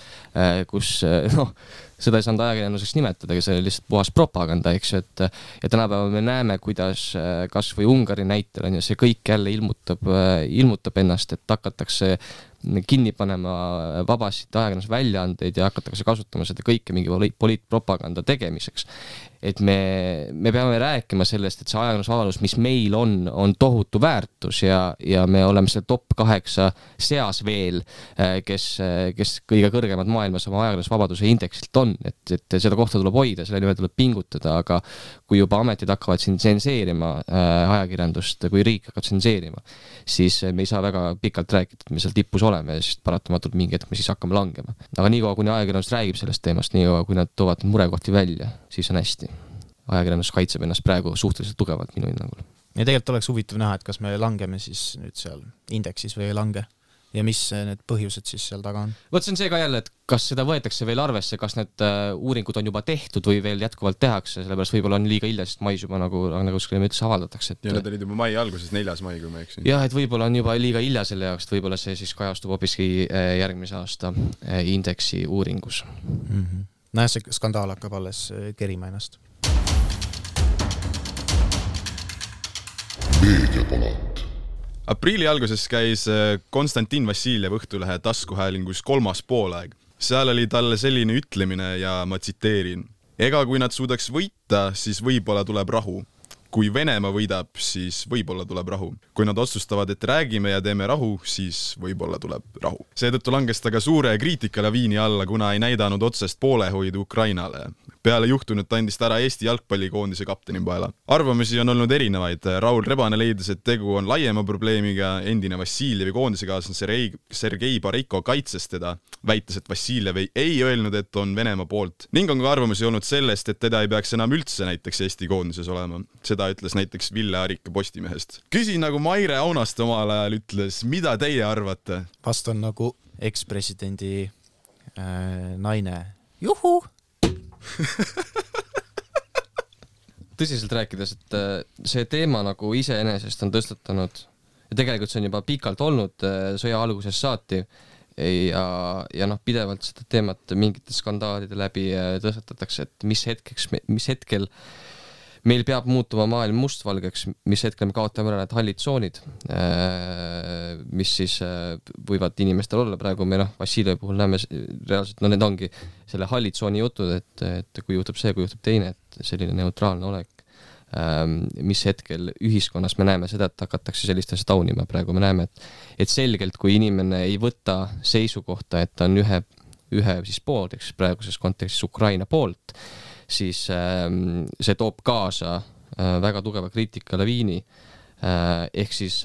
[SPEAKER 5] kus seda ei saanud ajakirjanduseks nimetada, aga see oli lihtsalt puhas propaganda, eks ju, ja tänapäeval me näeme, kuidas kas või Ungari näitel on ja see kõik jälle ilmutab ennast, et hakatakse kinni panema vabasid ajakirjanduse väljaandeid ja hakatakse kasutama seda kõike mingi poliitpropaganda tegemiseks. Et me peame rääkima sellest, et see ajakirjandusvabadus, mis meil on tohutu väärtus ja me oleme selle top 8 seas veel, kes kõige kõrgemad maailmas oma ajakirjandusvabaduse indeksilt on, et seda kohta tuleb hoida, selle nimel tuleb pingutada, aga kui juba ametid hakkavad siin tsenseerima ajakirjandust, kui riik hakkab tsenseerima, siis me ei saa väga pikalt rääkida, et me seal tippus oleme ja siis paratamatult mingi hetk me siis hakkame langema. Aga niikaua, kuni ajakirjandus räägib sellest teemast, niikaua, kui nad toovad murekohti välja, siis on hästi. Ajakirjandus kaitseb ennast praegu suhteliselt tugevalt minu hinnangul.
[SPEAKER 7] Ja tegelikult oleks huvitav näha, et kas me langeme siis nüüd seal indeksis või ei lange ja mis need põhjused siis seal taga on.
[SPEAKER 5] Võt see on see ka jälle, et kas seda võetakse veel arvesse, kas need uuringud on juba tehtud või veel jätkuvalt tehakse, sellepärast võib-olla on liiga hilja, sest mais juba nagu me ütles avaldatakse.
[SPEAKER 6] Ja need olid juba mai alguses, 4. mai, kui ma eksin.
[SPEAKER 5] Jah, et võib-olla on juba liiga hilja selle jaoks, et võib-olla see siis kajastub hoopiski järgmise aasta indeksi uuringus.
[SPEAKER 7] Näe, see skandaal hakkab alles kerima ennast.
[SPEAKER 4] Meediapalat.
[SPEAKER 6] Aprilli alguses käis Konstantin Vassiljev Õhtulehe taskuhäälingus 3. poolaeg. Seal oli talle selline ütlemine ja ma tsiteerin. Ega kui nad suudaks võita, siis võib-olla tuleb rahu. Kui Venemaa võidab, siis võib-olla tuleb rahu. Kui nad otsustavad, et räägime ja teeme rahu, siis võib-olla tuleb rahu. Seetõttu langes ta ka suure kriitikalaviini alla, kuna ei näidanud otsest poolehoidu Ukrainale. Peale juhtunut andis ta ära Eesti jalgpallikoondise kapteni paela. Arvamusi on olnud erinevaid. Raul Rebane leidis, et tegu on laiema probleemiga. Endine Vassiljevi koondisekaaslased Sergei Bareiko kaitses teda, väites, et Vassiljev ei öelnud, et on Venemaa poolt. Ning on ka arvamusi olnud sellest, et teda ei peaks enam üldse näiteks Eesti koondises olema. Seda ütles näiteks Ville Arika Postimehest. Küsin nagu Maire Aunaste omal ajal ütles, mida teie arvate?
[SPEAKER 7] Vast on nagu ekspresidendi naine. Juhu!
[SPEAKER 5] Tõsiselt rääkides, et see teema nagu iseenesest on tõstatanud ja tegelikult see on juba pikalt olnud sõja alguses saati ja pidevalt seda teemat mingite skandaalide läbi tõstatatakse, et mis hetkel meil peab muutuma maailm mustvalgeks, mis hetkel me kaotame ära need hallid tsoonid, mis siis võivad inimestel olla praegu, me Vassiljevi puhul näeme reaalselt, need ongi selle hallid tsooni jutud, et kui juhtub see, kui juhtub teine, et selline neutraalne olek, mis hetkel ühiskonnas me näeme seda, et hakatakse sellist asja taunima praegu, me näeme, et selgelt, kui inimene ei võta seisukohta, et ta on ühe siis poolt, eks praeguses kontekstis Ukraina poolt, siis see toob kaasa väga tugeva kriitika laviini. Ehk siis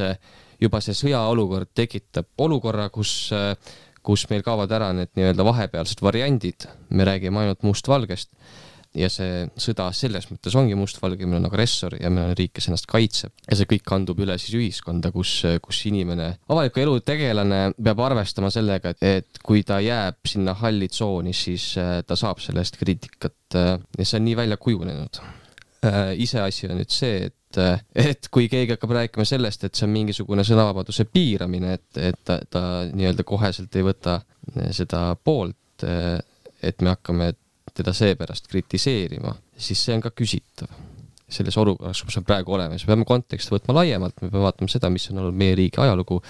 [SPEAKER 5] juba see sõjaolukord tekitab olukorra, kus meil kaovad ära need nii-öelda vahepealsed variandid. Me räägime ainult mustvalgest ja see sõda selles mõttes ongi mustvalge, meil on agressor ja meil on riik, kes ennast kaitseb. Ja see kõik kandub üle siis ühiskonda, kus inimene, avaliku elu tegelane peab arvestama sellega, et kui ta jääb sinna halli tsooni, siis ta saab sellest kriitikat ja see on nii välja kujunenud. Iseasi on nüüd see, et kui keegi hakkab rääkima sellest, et see on mingisugune sõnavabaduse piiramine, et ta nii-öelda koheselt ei võta seda poolt, et me hakkame teda seepärast kritiseerima, siis see on ka küsitav. Selles olukorras, kus me praegu oleme, me peame konteksti võtma laiemalt, me peame vaatama seda, mis on olnud meie riigi ajalugu,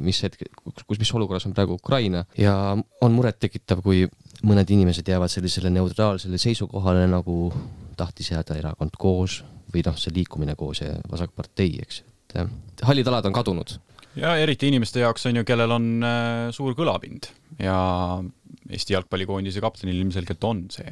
[SPEAKER 5] mis olukorras on praegu Ukraina ja on muret tekitav, kui mõned inimesed jäävad sellisele neutraalsele seisukohale, nagu tahtis jääda erakond koos või see liikumine koos ja vasakpartei, eks. Hallid alad on kadunud.
[SPEAKER 1] Ja eriti inimeste jaoks on ju, kellel on suur kõlapind ja Eesti jalgpallikoondise kaptenil ilmselgelt on see,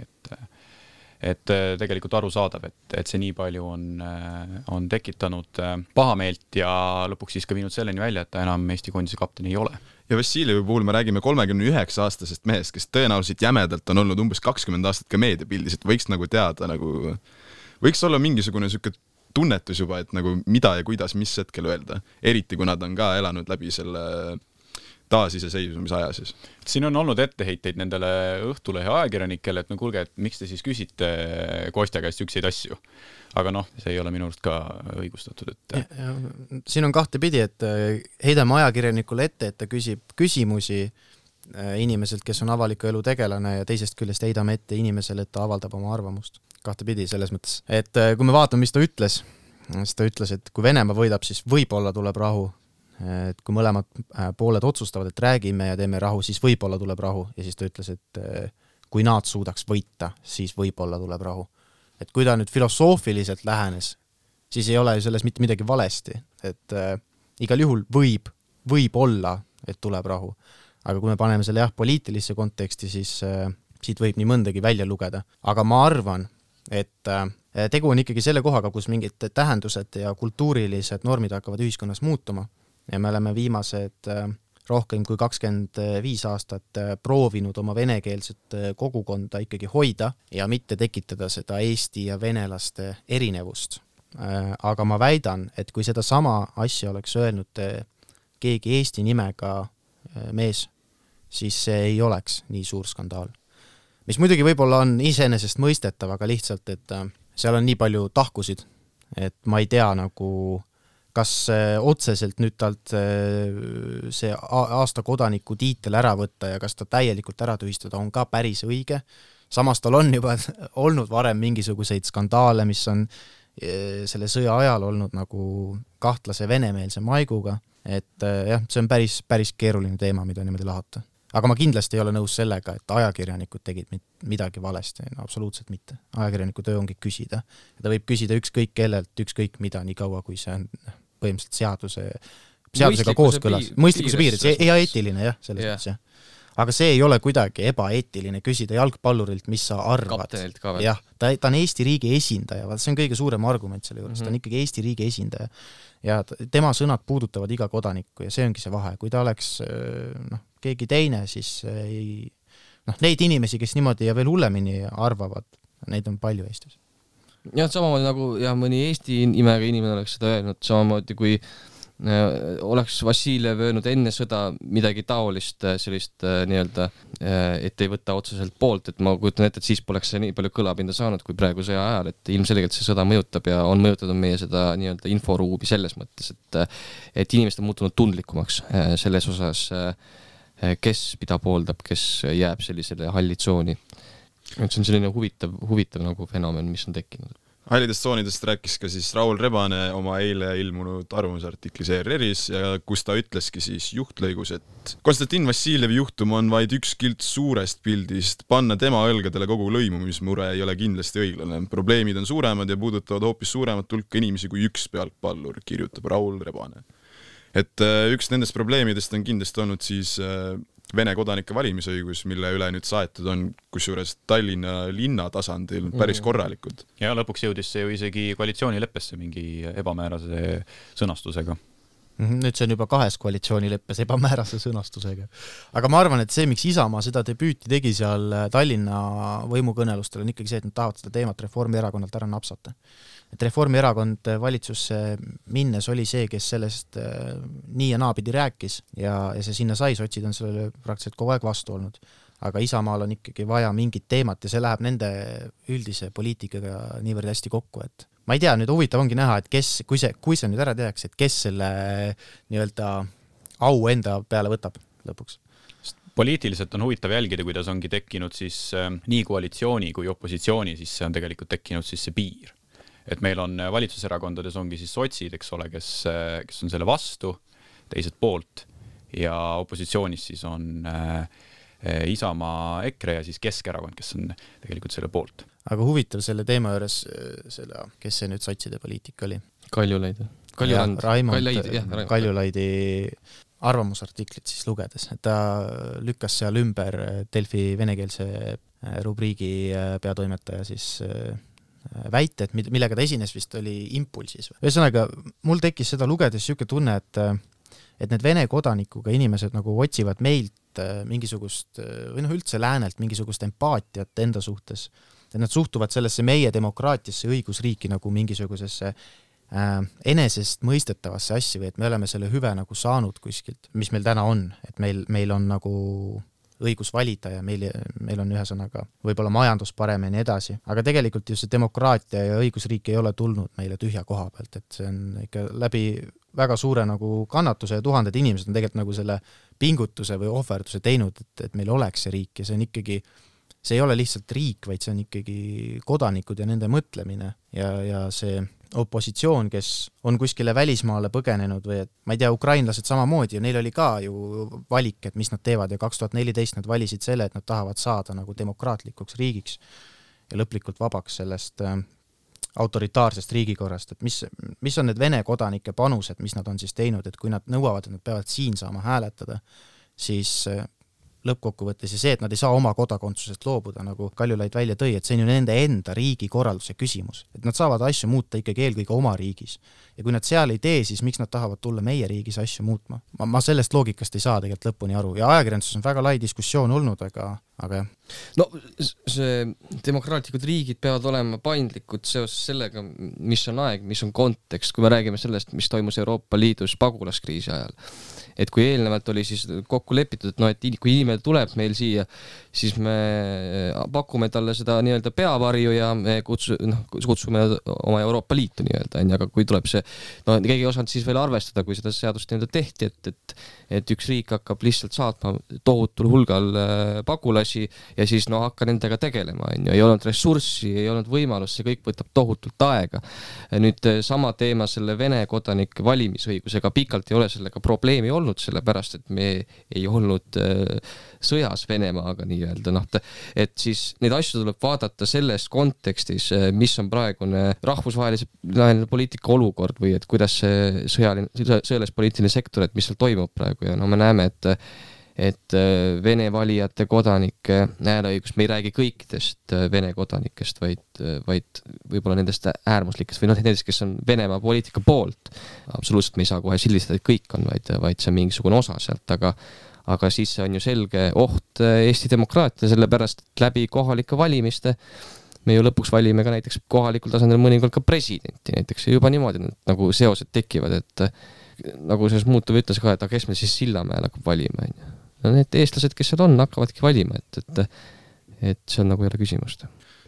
[SPEAKER 1] et tegelikult arusaadav, et see nii palju on tekitanud pahameelt ja lõpuks siis ka viinud selleni välja, et ta enam Eesti koondise kapten ei ole.
[SPEAKER 6] Ja Vassiljevi puhul me räägime 39-aastasest mehest, kes tõenäoliselt jämedalt on olnud umbes 20 aastat ka meediapildis, et võiks teada, võiks olla mingisugune selline tunnetus juba, et mida ja kuidas, mis hetkel öelda. Eriti, kui nad on ka elanud läbi selle taasiseseisvumise aja siis.
[SPEAKER 1] Siin on olnud etteheiteid nendele Õhtulehe ajakirjanikele, et kuulge, et miks te siis küsite Kostja käest ükseid asju. Aga see ei ole minu arust ka õigustatud.
[SPEAKER 7] Siin on kahte pidi, et heidame ajakirjanikule ette, et ta küsib küsimusi inimeselt, kes on avaliku elu tegelane ja teisest küljest heidame ette inimesele, et ta avaldab oma arvamust. Kahte pidi selles mõttes. Et kui me vaatame, mis ta ütles, siis ta ütles, et kui Venemaa võidab, siis võib-olla tuleb rahu. Et kui mõlemad pooled otsustavad, et räägime ja teeme rahu, siis võib-olla tuleb rahu. Ja siis ta ütles, et kui nad suudaks võita, siis võib-olla tuleb rahu. Et kui ta nüüd filosoofiliselt lähenes, siis ei ole selles mitte midagi valesti. Et igal juhul võib olla, et tuleb rahu. Aga kui me paneme selle poliitilisse konteksti, siis siit võib nii mõndagi välja lugeda. Aga ma arvan, et tegu on ikkagi selle kohaga, kus mingid tähendused ja kultuurilised normid hakkavad ühiskonnas muutuma. Ja me oleme viimased rohkem kui 25 aastat proovinud oma venekeelset kogukonda ikkagi hoida ja mitte tekitada seda eesti ja venelaste erinevust. Aga ma väidan, et kui seda sama asja oleks öelnud keegi eesti nimega mees, siis see ei oleks nii suur skandaal. Mis muidugi võib-olla on iseenesest mõistetav, aga lihtsalt, et seal on nii palju tahkusid, et ma ei tea kas otseselt nüüd talt see aasta kodaniku tiitel ära võtta ja kas ta täielikult ära tühistada on ka päris õige. Samas tal on juba olnud varem mingisuguseid skandaale, mis on selle sõja ajal olnud kahtlase venemeelse maiguga, et see on päris keeruline teema, mida niimoodi lahata. Aga ma kindlasti ei ole nõus sellega, et ajakirjanikud tegid midagi valesti, absoluutselt mitte. Ajakirjaniku töö ongi küsida. Ta võib küsida ükskõik kellelt, ükskõik mida, nii kaua, kui see on põhimõtteliselt seadusega kooskõlas. Mõistlikkuse piirid, see ei eetiline, selles mõttes, jah. Aga see ei ole kuidagi ebaeetiline küsida jalgpallurilt, mis sa arvad. Jah, ta on Eesti riigi esindaja, see on kõige suurem argument selle juures, ta on ikkagi Eesti riigi esindaja. Ja tema sõnad puudutavad iga kodanikku ja see ongi see vahe. Kui ta oleks keegi teine, siis neid inimesi, kes niimoodi ja veel hullemini arvavad, neid on palju Eestis.
[SPEAKER 5] Ja samamoodi mõni Eesti nimega inimene oleks seda öelnud, samamoodi kui oleks Vassiljev öelnud enne sõda midagi taolist sellist nii-öelda, et ei võta otseselt poolt, et ma kujutan ette, et siis poleks see nii palju kõlapinda saanud kui praegu sõja ajal, et ilmselgelt see sõda mõjutab ja on mõjutatud meie seda nii-öelda inforuumi selles mõttes, et inimesed on muutunud tundlikumaks selles osas, kes mida pooldab, kes jääb sellisele hallitsooni. See on selline huvitav fenomen, mis on tekkinud.
[SPEAKER 6] Hallidest tsoonidest rääkis ka siis Raul Rebane oma eile ilmunud arvamusartiklis ERR-is ja kus ta ütleski siis juhtlõigus, et Konstantin Vassiljevi juhtum on vaid üks kilts suurest pildist, panna tema õlgadele kogu lõimumismure ei ole kindlasti õiglane. Probleemid on suuremad ja puudutavad hoopis suuremat hulka inimesi kui üks pealtpallur, kirjutab Raul Rebane. Et üks nendest probleemidest on kindlasti olnud siis Vene kodanike valimisõigus, mille üle nüüd saetud on kusjuures Tallinna linna tasandil päris korralikud.
[SPEAKER 1] Ja lõpuks jõudis see ju isegi koalitsioonileppesse mingi ebamäärase sõnastusega.
[SPEAKER 7] Nüüd see on juba 2 koalitsioonileppes ebamäärase sõnastusega. Aga ma arvan, et see, miks Isamaa seda debüüti tegi seal Tallinna võimukõnelustel, on ikkagi see, et nad tahavad seda teemat Reformierakonnalt ära napsata. Et Reformierakond valitsusse minnes oli see, kes sellest nii ja naapidi rääkis ja see sinna sai, sotsid on sellele praktiliselt kogu aeg vastu olnud. Aga Isamaal on ikkagi vaja mingit teemat ja see läheb nende üldise poliitikaga niivõrd hästi kokku, et ma ei tea, nüüd huvitav ongi näha, et kes, kui see nüüd ära tehakse, et kes selle nii-öelda au enda peale võtab lõpuks.
[SPEAKER 1] Poliitiliselt on huvitav jälgida, kuidas ongi tekkinud siis nii koalitsiooni kui opositsiooni, siis see on tegelikult tekkinud siis see piir. Et meil on valitsuserakondades ongi siis sotsid, eks ole, kes on selle vastu, teised poolt ja opositsioonis siis on Isamaa, EKRE ja siis Keskerakond, kes on tegelikult selle poolt.
[SPEAKER 7] Aga huvitav selle teema juures, kes see nüüd sotside poliitika oli?
[SPEAKER 5] Kaljulaid.
[SPEAKER 7] Kaljulaidi arvamusartiklit siis lugedes, et ta lükkas seal ümber Delfi venekeelse rubriigi peatoimetaja siis väite, et millega ta esines vist oli Impulsis. Ühesõnaga, mul tekkis seda lugedes siuke tunne, et need Vene kodanikuga inimesed nagu otsivad meilt mingisugust, või üldse läänelt mingisugust empaatiat enda suhtes. Et nad suhtuvad sellesse meie demokraatiasse õigusriiki nagu mingisugusesse enesest mõistetavasse asja või et me oleme selle hüve nagu saanud kuskilt, mis meil täna on, et meil on nagu õigus valida ja meil on ühesõnaga võib-olla majandus parem ja nii edasi. Aga tegelikult ju see demokraatia ja õigusriik ei ole tulnud meile tühja koha pealt, et see on ikka läbi väga suure nagu kannatuse ja tuhanded inimesed on tegelikult nagu selle pingutuse või ohverduse teinud, et meil oleks see riik ja see on ikkagi, see ei ole lihtsalt riik, vaid see on ikkagi kodanikud ja nende mõtlemine ja see opositsioon, kes on kuskile välismaale põgenenud või et ma ei tea, ukrainlased samamoodi ja neil oli ka ju valik, et mis nad teevad ja 2014 nad valisid selle, et nad tahavad saada nagu demokraatlikuks riigiks ja lõplikult vabaks sellest autoritaarsest riigikorrast, et mis on need Vene kodanike panused, mis nad on siis teinud, et kui nad nõuavad, et nad peavad siin saama hääletada, siis lõppkokkuvõttes ja see, et nad ei saa oma kodakondsusest loobuda, nagu Kaljulaid välja tõi, et see on ju nende enda riigi korralduse küsimus. Et nad saavad asju muuta ikkagi eelkõige oma riigis. Ja kui nad seal ei tee, siis miks nad tahavad tulla meie riigis asju muutma? Ma sellest loogikast ei saa tegelikult lõpuni aru. Ja ajakirjanduses on väga lai diskussioon olnud, aga jah.
[SPEAKER 5] No see demokraatlikud riigid peavad olema paindlikud seoses sellega, mis on aeg, mis on kontekst, kui me räägime sellest, mis toimus Euroopa Liidus pagulaskriisi ajal. Et kui eelnevalt oli siis kokku lepitud, et et kui inimene tuleb meil siia, siis me pakume talle seda nii-öelda peavarju ja me kutsume oma Euroopa Liitu nii-öelda, aga kui tuleb see, keegi ei osanud siis veel arvestada, kui seda seadust nii-öelda tehti, et üks riik hakkab lihtsalt saatma tohutul hulgal pagulasi ja siis hakka nendega tegelema, ei olnud ressurssi, ei olnud võimalust, see kõik võtab tohutult aega. Nüüd sama teema selle Vene kodanike valimisõigusega pikalt ei ole sellega probleemi olnud, sellepärast, et me ei olnud sõjas Venemaaga nii-öelda, et siis neid asju tuleb vaadata selles kontekstis, mis on praegune rahvusvahelise poliitika olukord või et kuidas see sõjalis-poliitiline sektor, et mis seal toimub praegu ja me näeme, et Vene valijate kodanike hääleõigus, me ei räägi kõikidest Vene kodanikest, vaid võib-olla nendest äärmuslikest või nendest, kes on Venemaa poliitika poolt. Absoluutselt me ei saa kohe sildistada, et kõik on, vaid see on mingisugune osa sealt, aga siis on ju selge oht Eesti demokraatia, sellepärast et läbi kohalike valimiste me ju lõpuks valime ka näiteks kohalikul tasandil mõnikord ka presidenti näiteks ja juba niimoodi nagu seosed tekivad, et nagu selles muutuv ütles ka, et kes me siis Sillamäel hakkab valima, need eestlased, kes seal on, hakkavadki valima, et see on nagu jälle küsimust.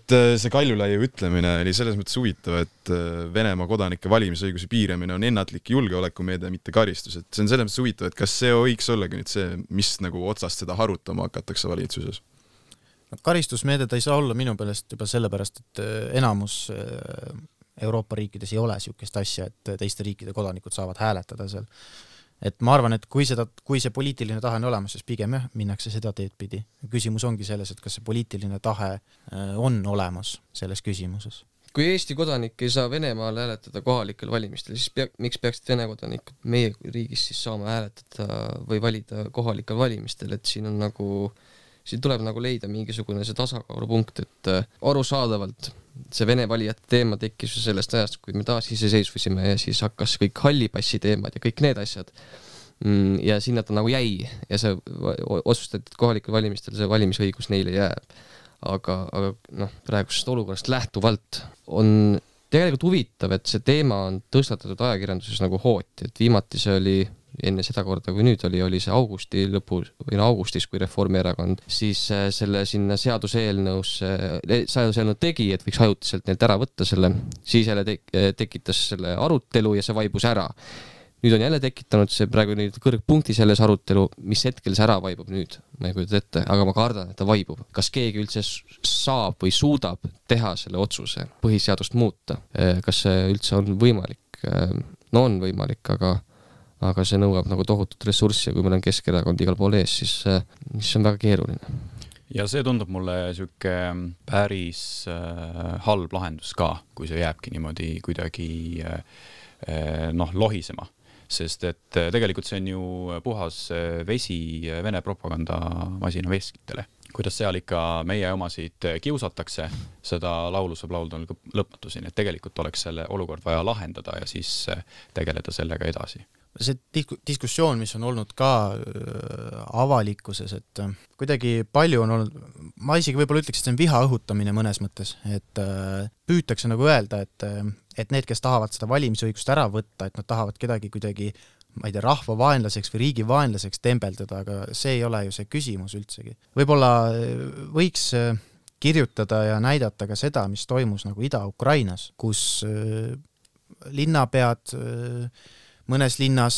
[SPEAKER 6] See Kaljulaiu ütlemine oli selles mõttes huvitav, et Venemaa kodanike valimisõiguse piiramine on ennatlik julgeolekumeede, mitte karistus. Et see on selles mõttes huvitav, et kas see võiks ollagi nüüd see, mis nagu otsast seda harutama hakatakse valitsuses?
[SPEAKER 7] karistusmeede ta ei saa olla minu pealest juba sellepärast, et enamus Euroopa riikides ei ole niisugust asja, et teiste riikide kodanikud saavad hääletada seal. Et ma arvan, et kui see poliitiline tahe on olemas, siis pigem minnakse seda teed pidi. Küsimus ongi selles, et kas see poliitiline tahe on olemas selles küsimuses.
[SPEAKER 5] Kui Eesti kodanik ei saa Venemaal hääletada kohalikel valimistel, siis miks peaksid Vene kodanikud meie riigis siis saama hääletada või valida kohalikel valimistel, et siin tuleb leida mingisugune see tasakaalupunkt, et arusaadavalt see Vene valijate teema tekkis sellest ajast, kui me taas iseseisvusime ja siis hakkas kõik hallipassi teemad ja kõik need asjad. Ja sinna ta jäi ja see otsustati, et kohalikel valimistel see valimisõigus neile jääb. Aga praegusest olukorrast lähtuvalt on tegelikult huvitav, et see teema on tõstatatud ajakirjanduses hooti, et viimati see oli enne seda korda, kui nüüd oli see augusti lõpus või augustis, kui Reformierakond siis selle sinna seaduseelnõu tegi, et võiks ajutiselt neilt ära võtta selle, siis jälle tekitas selle arutelu ja see vaibus ära. Nüüd on jälle tekitanud see praegu kõrgpunkti selles arutelu, mis hetkel see ära vaibub nüüd, ma ei kujuta ette, aga ma kardan, et ta vaibub. Kas keegi üldse saab või suudab teha selle otsuse põhiseadust muuta? Kas see üldse on võimalik? No on võimalik, aga see nõuab tohutut ressurssi ja kui meil on Keskerakond igal pool ees, siis on väga keeruline.
[SPEAKER 1] Ja see tundub mulle siuke päris halb lahendus ka, kui see jääbki niimoodi kuidagi lohisema. Sest et tegelikult see on ju puhas vesi Vene propagandamasina veskitele. Kuidas seal ikka meie omasid kiusatakse, seda laulu saab laulda lõpmatuseni, et tegelikult oleks selle olukord vaja lahendada ja siis tegeleda sellega edasi.
[SPEAKER 7] See diskussioon, mis on olnud ka avalikkuses, et kuidagi palju on olnud, ma isegi võib-olla ütleks, et see on viha õhutamine mõnes mõttes, et püütakse öelda, et need, kes tahavad seda valimisõigust ära võtta, et nad tahavad kedagi kuidagi, ma ei tea, rahvavaenlaseks või riigivaenlaseks tembeldada, aga see ei ole ju see küsimus üldsegi. Võib-olla võiks kirjutada ja näidata ka seda, mis toimus Ida-Ukrainas, kus linnapead mõnes linnas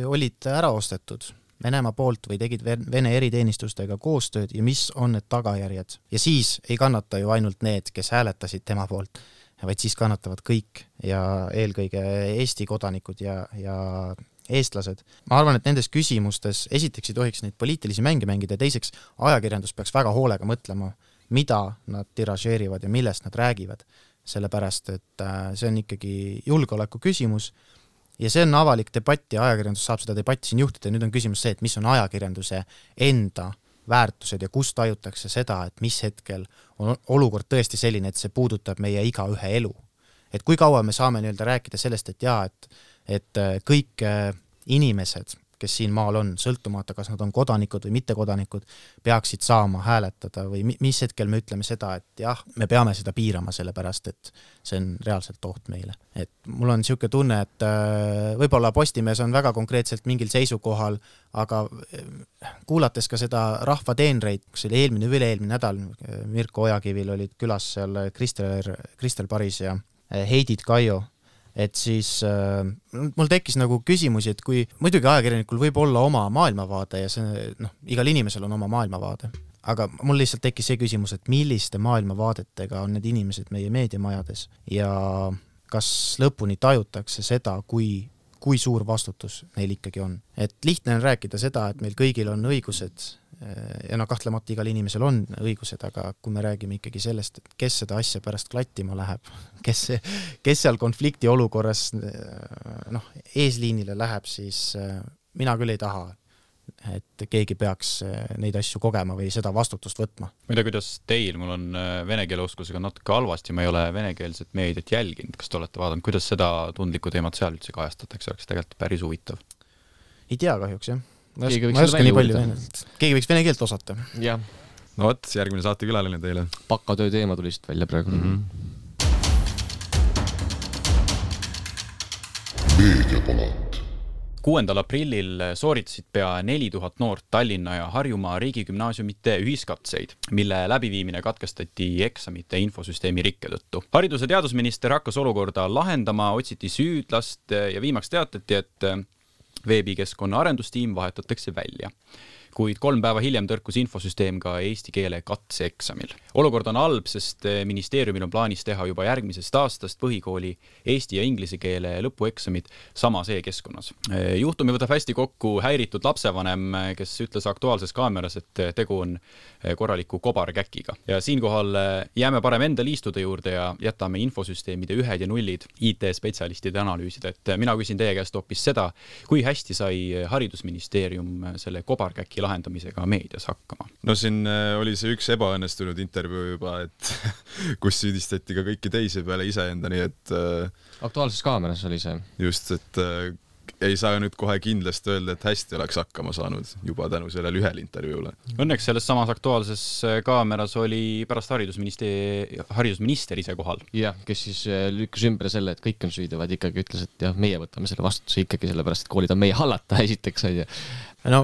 [SPEAKER 7] olid ära ostetud Venemaa poolt või tegid Vene eriteenistustega koostööd ja mis on need tagajärjed. Ja siis ei kannata ju ainult need, kes hääletasid tema poolt, vaid siis kannatavad kõik ja eelkõige Eesti kodanikud ja eestlased. Ma arvan, et nendes küsimustes esiteks ei tohiks neid poliitilisi mänge mängida ja teiseks ajakirjandus peaks väga hoolega mõtlema, mida nad tiražeerivad ja millest nad räägivad. Sellepärast, et see on ikkagi julgeoleku küsimus ja see on avalik debatt ja ajakirjandus saab seda debatti siin juhtida. Nüüd on küsimus see, et mis on ajakirjanduse enda väärtused ja kus tajutakse seda, et mis hetkel on olukord tõesti selline, et see puudutab meie igaühe elu. Et kui kaua me saame rääkida sellest, et kõik inimesed, kes siin maal on, sõltumata, kas nad on kodanikud või mittekodanikud, peaksid saama hääletada või mis hetkel me ütleme seda, et jah, me peame seda piirama sellepärast, et see on reaalselt oht meile. Et mul on niisugune tunne, et võib-olla Postimees on väga konkreetselt mingil seisukohal, aga kuulates ka seda rahvateenreid, kus oli eelmine või üle-eelmine nädal, Mirko Ojakivil olid külas seal Kristel Paris ja Heidit Kaio, et siis mul tekkis küsimusi, et kui muidugi ajakirjanikul võib olla oma maailmavaade ja see, igal inimesel on oma maailmavaade, aga mul lihtsalt tekkis see küsimus, et milliste maailmavaadetega on need inimesed meie meediamajades ja kas lõpuni tajutakse seda, kui suur vastutus neil ikkagi on. Et lihtne on rääkida seda, et meil kõigil on õigused ja kahtlemata igal inimesel on õigused, aga kui me räägime ikkagi sellest, et kes seda asja pärast klattima läheb, kes seal konflikti olukorras eesliinile läheb, siis mina küll ei taha, et keegi peaks neid asju kogema või seda vastutust võtma.
[SPEAKER 1] Ma ei tea, kuidas teil, mul on vene keele oskusega natuke halvasti, ma ei ole venekeelset meediat jälginud, kas te olete vaadanud, kuidas seda tundlikku teemat seal üldse kajastatakse, oleks tegelikult päris huvitav.
[SPEAKER 7] Ei tea kahjuks, jah. Ma ei oska nii palju venekeelt. Keegi võiks vene keelt osata.
[SPEAKER 5] Jah.
[SPEAKER 6] No võt, järgmine saate külaline teile.
[SPEAKER 5] Pakatöö teema tuli siit välja praegu.
[SPEAKER 1] Meediapalat. 6. aprillil sooritasid pea 4000 noort Tallinna ja Harjumaa riigigümnaasiumite ühiskatseid, mille läbiviimine katkestati eksamite infosüsteemi rikke tõttu. Haridus- ja teadusminister hakkas olukorda lahendama, otsiti süüdlast ja viimaks teatati, et veebikeskkonna arendustiim vahetatakse välja. kuid 3 päeva hiljem tõrkus infosüsteem ka eesti keele katseeksamil. Olukord on halb, sest ministeeriumil on plaanis teha juba järgmisest aastast põhikooli eesti ja inglise keele lõpueksamid samas e-keskkonnas. Juhtumi võtab hästi kokku häiritud lapsevanem, kes ütles Aktuaalses Kaameras, et tegu on korraliku kobarkäkiga. Ja siinkohal jääme parem enda liistude juurde ja jätame infosüsteemide 1 ja 0 IT-spetsialistide analüüsida. Et mina küsin teie käest hoopis seda, kui hästi sai haridusministeerium selle kobarkäki lahendamisega meedias hakkama?
[SPEAKER 6] No siin oli see üks ebaõnnestunud intervjuu juba, et kus süüdistati ka kõiki teisi peale iseenda, nii et
[SPEAKER 5] Aktuaalses Kaameras oli see.
[SPEAKER 6] Just, et ei saa nüüd kohe kindlasti öelda, et hästi oleks hakkama saanud juba tänu sellele ühele intervjuule.
[SPEAKER 1] Õnneks selles samas Aktuaalses Kaameras oli pärast haridusminister ise kohal.
[SPEAKER 5] Jah, kes siis lükkas ümber selle, et kõik on süüdi, vaid ikkagi ütles, et jah, meie võtame selle vastutuse ikkagi sellepärast, et koolid on meie hallata esiteks.
[SPEAKER 7] No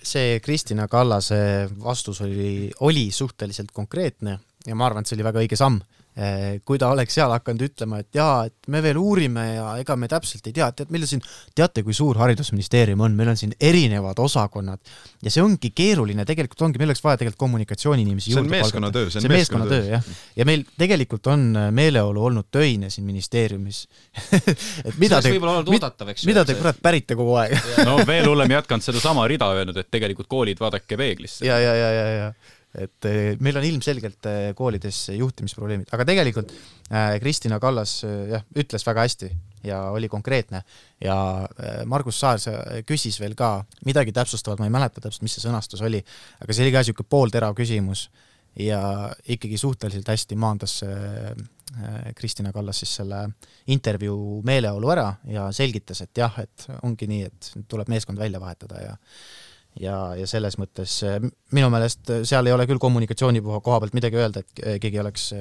[SPEAKER 7] see Kristina Kallase vastus oli suhteliselt konkreetne ja ma arvan, et see oli väga õige samm. Kui ta oleks seal hakanud ütlema, et jaa, et me veel uurime ja ega me täpselt ei tea, teate, kui suur haridusministeerium on, meil on siin erinevad osakonnad ja see ongi keeruline, tegelikult ongi, meil oleks vaja tegelikult kommunikatsiooniinimesi juurde
[SPEAKER 6] palgata.
[SPEAKER 7] See on meeskonnatöö, jah. Ja meil tegelikult on meeleolu olnud töine siin ministeeriumis. Et mida te kurat pärite kogu aeg?
[SPEAKER 1] No veel hullem jätkanud seda sama rida öelnud, et tegelikult koolid vaadake peeglisse.
[SPEAKER 7] Ja. Et meil on ilmselgelt koolides juhtimisprobleemid, aga tegelikult Kristina Kallas ütles väga hästi ja oli konkreetne ja Margus Saar küsis veel ka midagi täpsustavat, ma ei mäleta täpselt, mis see sõnastus oli, aga see oli ka siuke poolterav küsimus ja ikkagi suhteliselt hästi maandas Kristina Kallas siis selle intervjuu meeleolu ära ja selgitas, et jah, et ongi nii, et tuleb meeskond välja vahetada ja selles mõttes minu meelest seal ei ole küll kommunikatsiooni koha pealt midagi öelda, et keegi oleks,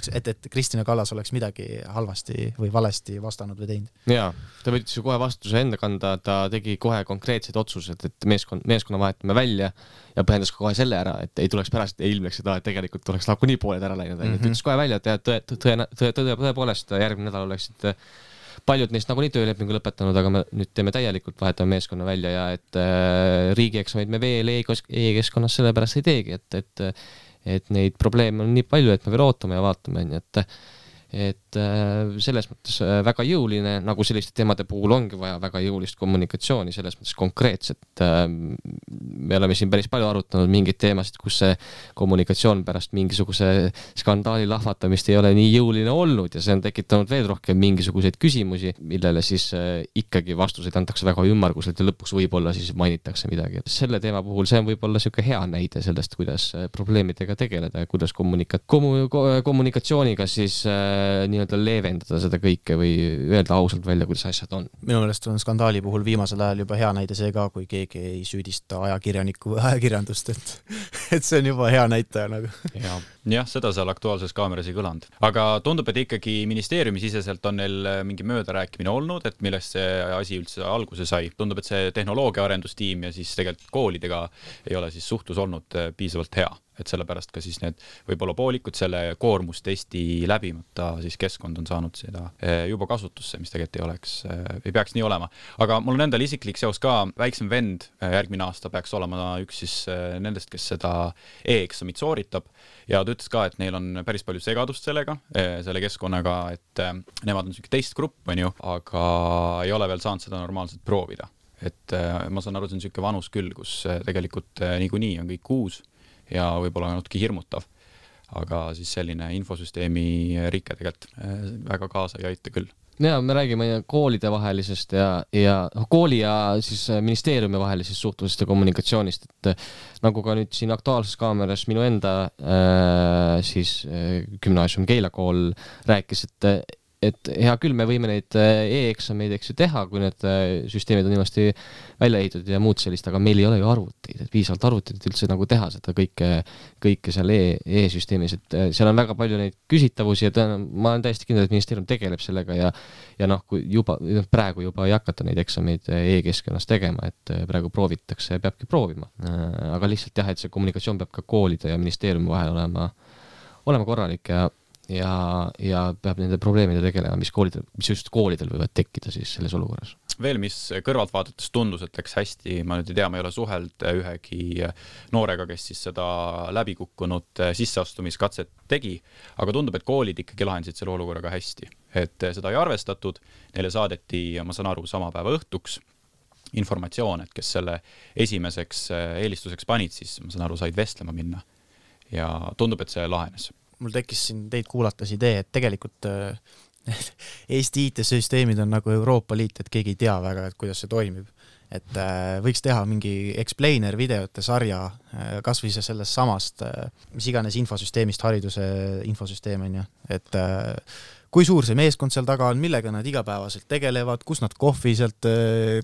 [SPEAKER 7] et Kristina Kallas oleks midagi halvasti või valesti vastanud või teinud.
[SPEAKER 5] Jaa, ta võttis ju kohe vastuse enda kanda, ta tegi kohe konkreetsed otsused, et meeskonna vahetame välja ja põhjendas kohe selle ära, et ei tuleks pärast, ei ilmleks seda, et tegelikult tuleks lauku nii pooled ära läinud. Et ütles kohe välja, et tõepoolest järgmine nädal oleksid paljud neist nagu nii töölepingu lõpetanud, aga me nüüd teeme täielikult, vahetame meeskonna välja ja et riigieksameid me veel e-keskkonnas sellepärast ei teegi, et neid probleeme on nii palju, et me veel ootame ja vaatame, et selles mõttes väga jõuline, nagu selliste teemade puhul ongi vaja väga jõulist kommunikatsiooni, selles mõttes konkreetset. Me oleme siin päris palju arutanud mingeid teemasid, kus see kommunikatsioon pärast mingisuguse skandaali lahvatamist ei ole nii jõuline olnud ja see on tekitanud veel rohkem mingisuguseid küsimusi, millele siis ikkagi vastuseid antakse väga ümmarguselt ja lõpuks võib-olla siis mainitakse midagi. Selle teema puhul see on võib-olla siuke hea näide sellest, kuidas probleemidega tegeleda ja kuidas kommunikatsiooniga siis nii-öelda leevendada seda kõike või öelda ausalt välja, kuidas asjad on.
[SPEAKER 7] Minu meelest on skandaali puhul viimasel ajal juba hea näide see ka, kui keegi ei süüdista ajakirjanikku või ajakirjandust, et see on juba hea näitaja nagu.
[SPEAKER 1] Jah, seda seal Aktuaalses Kaameras ei kõlanud. Aga tundub, et ikkagi ministeeriumi siseselt on neil mingi möödarääkimine olnud, et millest see asi üldse alguse sai. Tundub, et see tehnoloogia arendustiim ja siis tegelikult koolidega ei ole siis suhtlus olnud piisavalt hea. Et sellepärast ka siis need võib-olla poolikud selle koormustesti läbimata siis keskkond on saanud seda juba kasutusse, mis tegelikult ei peaks nii olema. Aga mul on endal isiklik seos ka, väiksem vend järgmine aasta peaks olema üks siis nendest, kes seda e-eksamit sooritab ja ta ütles ka, et neil on päris palju segadust selle keskkonnaga, et nemad on teist grupp, aga ei ole veel saanud seda normaalselt proovida. Et ma saan aru, see on siuke vanus küll, kus tegelikult niikuinii on kõik uus ja võib-olla natuke hirmutav, aga siis selline infosüsteemi rike tegelikult väga kaasa ei aita küll.
[SPEAKER 5] Ja me räägime koolide vahelisest ja kooli ja siis ministeeriumi vahelisest suhtlusest ja kommunikatsioonist, et nagu ka nüüd siin Aktuaalses Kaameras minu enda siis gümnaasium Keila kool rääkis, et hea küll, me võime neid e-eksameid teha, kui need süsteemid on niimoodi välja ehitatud ja muud sellist, aga meil ei ole ju arvuteid, et piisavalt arvuteid üldse nagu teha seda kõike seal e-süsteemis, et seal on väga palju neid küsitavusi ja ma olen täiesti kindel, et ministeerium tegeleb sellega ja kui praegu juba ei hakata neid eksameid e-keskkonnas tegema, et praegu proovitakse ja peabki proovima. Aga lihtsalt jah, et see kommunikatsioon peab ka koolide ja ministeeriumi vahel olema korralik ja peab nende probleemide tegelema, mis just koolidel võivad tekkida siis selles olukorras.
[SPEAKER 1] veel, mis kõrvalt vaadates tundus, et läks hästi, ma nüüd ei tea, ma ei ole suheld ühegi noorega, kes siis seda läbikukkunud sisseastumiskatset tegi, aga tundub, et koolid ikkagi lahendasid selle olukorraga hästi. Et seda ei arvestatud, neile saadeti, ma saan aru, sama päeva õhtuks informatsioon, et kes selle esimeseks eelistuseks panid, siis ma saan aru, said vestlema minna. Ja tundub, et see lahenes.
[SPEAKER 7] Mul tekkis siin teid kuulates idee, et tegelikult Eesti IT-süsteemid on nagu Euroopa Liit, et keegi ei tea väga, et kuidas see toimib. Et võiks teha mingi explainer videote sarja, kas või sellest samast, mis iganes infosüsteemist, hariduse infosüsteem on ju. Et kui suur see meeskond seal taga on, millega nad igapäevaselt tegelevad, kus nad kohvi sealt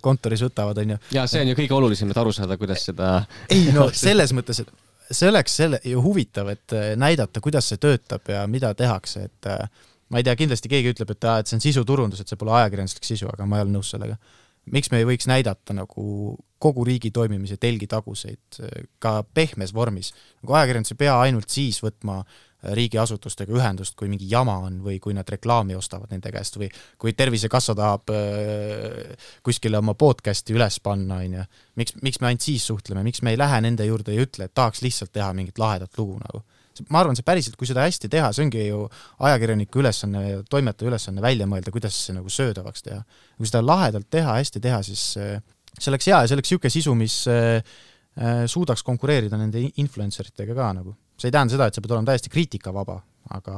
[SPEAKER 7] kontoris võtavad, on ju.
[SPEAKER 5] Ja see on ju kõige olulisem, et aru saada, kuidas seda...
[SPEAKER 7] Ei, no selles mõttes, et see oleks ju huvitav, et näidata, kuidas see töötab ja mida tehakse, et ma ei tea, kindlasti keegi ütleb, et see on sisuturundus, et see pole ajakirjanduslik sisu, aga ma ei ole nõus sellega. Miks me ei võiks näidata nagu kogu riigi toimimise telgitaguseid ka pehmes vormis? Nagu ajakirjandus ei pea ainult siis võtma riigiasutustega ühendust, kui mingi jama on või kui nad reklaami ostavad nende käest või kui Tervisekassa tahab kuskile oma podcasti üles panna. Miks me ainult siis suhtleme? Miks me ei lähe nende juurde ja ütle, et tahaks lihtsalt teha mingit lahedat lugu nagu? Ma arvan, see päriselt, kui seda hästi teha, see ongi ju ajakirjaniku ülesanne ja toimetaja ülesanne välja mõelda, kuidas see nagu söödavaks teha. Kui seda lahedalt teha, hästi teha, siis see oleks hea ja see oleks siuke sisu, mis suudaks konkureerida nende influenceritega ka nagu. See ei tähenda seda, et see peab olema täiesti kriitikavaba, aga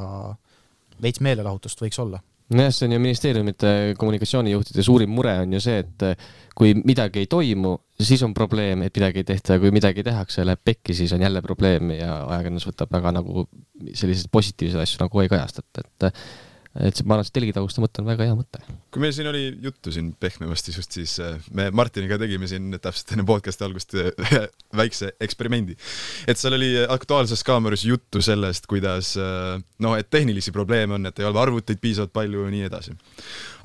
[SPEAKER 7] veits meelelahutust võiks olla.
[SPEAKER 5] Jah, see on ju ministeeriumite kommunikatsioonijuhtide suurim mure on ju see, et kui midagi ei toimu, siis on probleem, et midagi ei tehta ja kui midagi tehakse ja läheb pekki, siis on jälle probleem ja ajakirjandus võtab väga nagu sellised positiivsed asju nagu ei kajastata, et see, ma arvan, see telgitaguste mõte on väga hea mõte.
[SPEAKER 6] Kui meil siin oli juttu siin pehmevasti just, siis me Martiniga tegime siin täpselt enne podcasti algust väikse eksperimendi. Et seal oli Aktuaalses Kaameras juttu sellest, kuidas, et tehnilisi probleeme on, et ei ole arvuteid piisavalt palju ja nii edasi.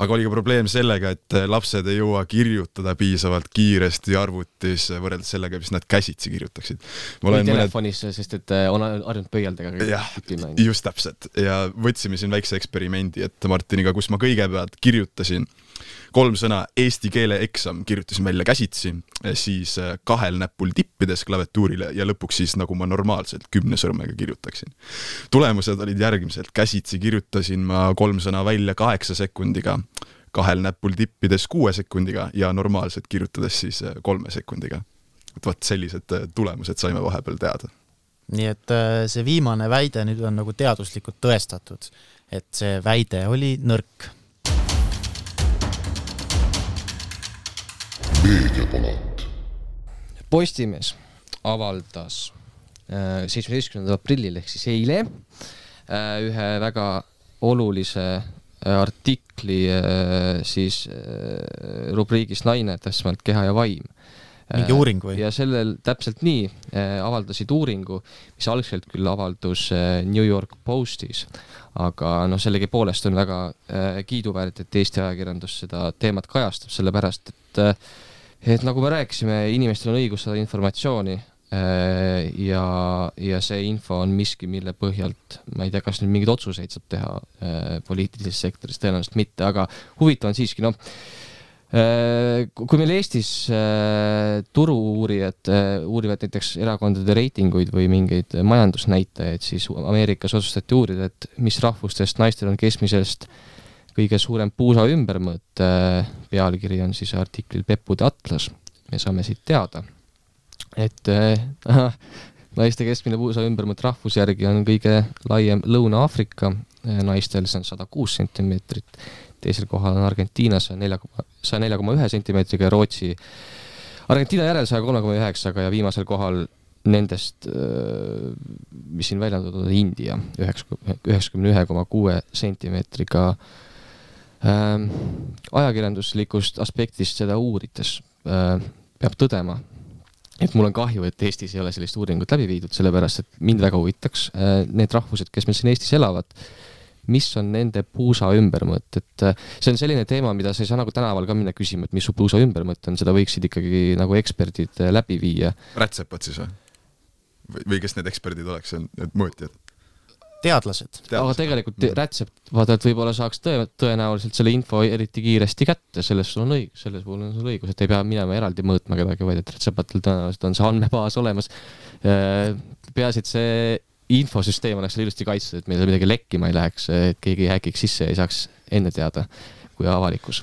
[SPEAKER 6] Aga oli ka probleem sellega, et lapsed ei jõua kirjutada piisavalt kiiresti arvutis võrreldes sellega, mis nad käsitsi kirjutaksid.
[SPEAKER 5] Või telefonis, sest et on harjunud pöialdega.
[SPEAKER 6] Jah, just täpselt. Ja võtsime siin väikse eksperimendi, et Martiniga, kus ma kõigepealt kirjutasin 3 sõna eesti keele eksam, kirjutasin välja käsitsi, siis 2 näpul tippides klaviatuurile ja lõpuks siis nagu ma normaalselt 10 sõrmega kirjutaksin. Tulemused olid järgmiselt. Käsitsi kirjutasin ma 3 sõna välja 8 sekundiga, 2 näpul tippides 6 sekundiga ja normaalselt kirjutades siis 3 sekundiga. Et võt sellised tulemused saime vahepeal teada.
[SPEAKER 7] Nii et see viimane väide nüüd on nagu teaduslikult tõestatud, et see väide oli nõrk.
[SPEAKER 5] Postimees avaldas 17. aprillil ehk siis eile ühe väga olulise artikli siis rubriigis Naine, täpsemalt keha ja vaim.
[SPEAKER 7] Mingi uuring või?
[SPEAKER 5] Ja sellel täpselt nii avaldasid uuringu, mis algselt küll avaldus New York Postis, aga sellegi poolest on väga kiiduväärt, et Eesti ajakirjandus seda teemat kajastab, sellepärast, et nagu me rääkisime, inimestel on õigus saada informatsiooni ja see info on miski, mille põhjalt, ma ei tea, kas nüüd mingeid otsuseid saab teha poliitilises sektoris, tõenäoliselt mitte, aga huvitav on siiski, kui meil Eestis turu-uurijad uurivad näiteks erakondade reitinguid või mingeid majandusnäitajaid, siis Ameerikas otsustati uurida, et mis rahvustest naistel on keskmisest kõige suurem puusa ümbermõõt. Pealkiri on siis artiklil Peppude atlas. Me saame siit teada, et naiste keskmine puusa ümbermõõt rahvusjärgi on kõige laiem Lõuna-Aafrika, naistel see on 106 sentimeetrit. Teisel kohal on Argentiina 104,1 sentimeetriga ja Rootsi Argentiina järel 103,9 ja viimasel kohal nendest, mis siin välja on India 91,6 sentimeetriga. Ajakirjanduslikust aspektist seda uurides peab tõdema, et mul on kahju, et Eestis ei ole sellist uuringut läbi viidud, sellepärast, et mind väga huvitaks need rahvused, kes meil siin Eestis elavad, mis on nende puusa ümbermõõt, et see on selline teema, mida sa ei saa nagu tänaval ka minna küsima, et mis su puusa ümbermõõt on, seda võiksid ikkagi nagu eksperdid läbi viia.
[SPEAKER 6] Rätsepad siis või? Või kes need eksperdid oleks, need mõõtjad?
[SPEAKER 7] teadlased.
[SPEAKER 5] Aga tegelikult rätsep, vaata, et võib-olla saaks tõenäoliselt selle info eriti kiiresti kätte, selles sul on õigus, selles puhul on sul õigus, et ei pea minema eraldi mõõtma kedagi, vaid et rätsepatel tõenäoliselt on see andmebaas olemas. Peaasi, et see infosüsteem oleks ilusti kaitstud, et meil midagi lekkima ei läheks, et keegi häkiks sisse ja ei saaks enne teada kui avalikus,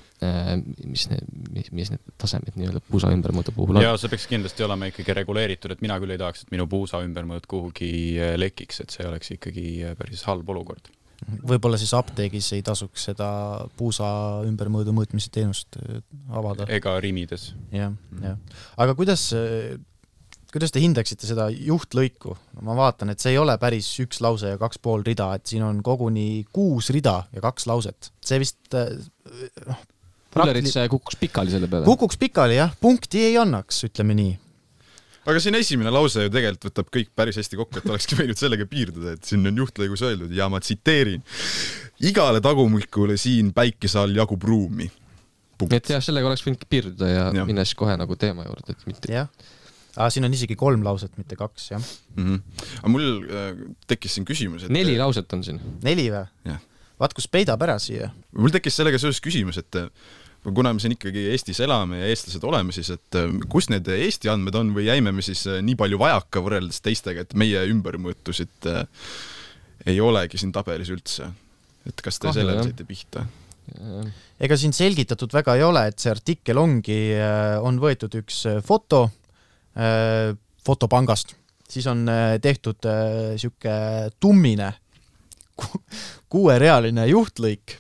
[SPEAKER 5] mis need tasemed nii-öelda puusa ümbermõõdu puhul on.
[SPEAKER 1] Ja see peaks kindlasti olema ikkagi reguleeritud, et mina küll ei tahaks, et minu puusa ümbermõõd kuhugi lekiks, et see oleks ikkagi päris halb olukord.
[SPEAKER 7] Võib-olla siis apteegis ei tasuks seda puusa ümbermõõdu mõõtmise teenust avada.
[SPEAKER 1] Ega rimides.
[SPEAKER 7] Ja. Aga kuidas te hindaksite seda juhtlõiku? Ma vaatan, et see ei ole päris 1 lause ja 2,5 rida, et siin on koguni 6 rida ja 2 lauset. See vist...
[SPEAKER 5] Pullerit kukkus pikali selle peale.
[SPEAKER 7] Kukuks pikali, jah. Punkti ei annaks, ütleme nii.
[SPEAKER 6] Aga siin esimene lause ju tegelikult võtab kõik päris hästi kokku, et olekski võinud sellega piirduda, et siin on juhtlõigus öeldud ja ma tsiteerin. Igale tagumikule siin päikese all jagub ruumi. Punkt.
[SPEAKER 5] Et jah, sellega oleks võinud piirduda ja minnes kohe nagu teema juurde. Et mitte...
[SPEAKER 7] Jah. Siin on isegi 3 lauset, mitte 2, jah.
[SPEAKER 6] Aga mul tekkis siin küsimus, et...
[SPEAKER 5] 4 lauset on siin.
[SPEAKER 7] 4 või?
[SPEAKER 6] Jah.
[SPEAKER 7] Vaat, kus peidab ära siia.
[SPEAKER 6] Mul tekkis sellega seoses küsimus, et kuna me siin ikkagi Eestis elame ja eestlased oleme, siis et kus need Eesti andmed on või jäime me siis nii palju vajaka võrreldes teistega, et meie ümbermõõtusid ei olegi siin tabelis üldse. Et kas te sellele saite pihta?
[SPEAKER 7] Ega siin selgitatud väga ei ole, et see artikkel on võetud üks foto fotopangast, siis on tehtud siuke tummine 6-realine juhtlõik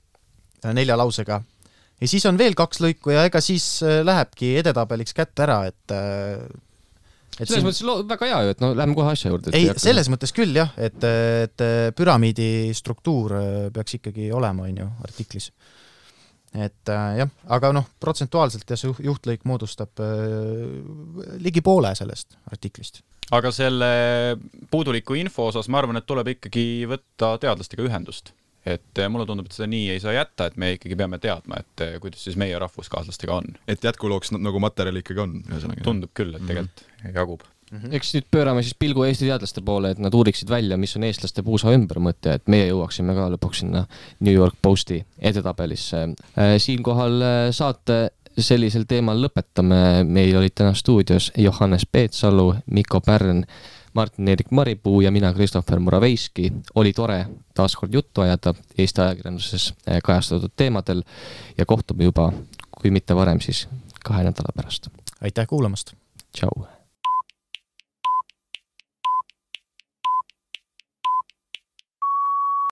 [SPEAKER 7] 4 lausega ja siis on veel 2 lõiku ja ega siis lähebki edetabeliks kätte ära, et
[SPEAKER 5] selles mõttes väga hea ju, et läheme kohe asja juurde.
[SPEAKER 7] Ei, selles mõttes küll jah, et püramiidi struktuur peaks ikkagi olema artiklis. Et jah, aga protsentuaalselt ja see juhtlõik moodustab ligi poole sellest artiklist.
[SPEAKER 1] Aga selle puuduliku info osas ma arvan, et tuleb ikkagi võtta teadlastega ühendust. Et mulle tundub, et seda nii ei saa jätta, et me ikkagi peame teadma, et kuidas siis meie rahvuskaaslastega on.
[SPEAKER 6] Et jätkulooks nagu materjali ikkagi on.
[SPEAKER 1] Tundub küll, et tegelikult jagub.
[SPEAKER 5] Eks nüüd pöörame siis pilgu Eesti teadlaste poole, et nad uuriksid välja, mis on eestlaste puusa ümbermõte, et meie jõuaksime ka lõpuks sinna New York Posti edetabelisse. Siinkohal saate sellisel teemal lõpetame. Meil olid täna stuudios Johannes Peetsalu, Mikko Pärn, Martin-Erik Maripuu ja mina, Kristoffer Muraveiski. Oli tore taaskord juttu ajada Eesti ajakirjanduses kajastatud teemadel ja kohtume juba, kui mitte varem, siis 2 nädala pärast.
[SPEAKER 7] Aitäh kuulamast!
[SPEAKER 5] Tšau!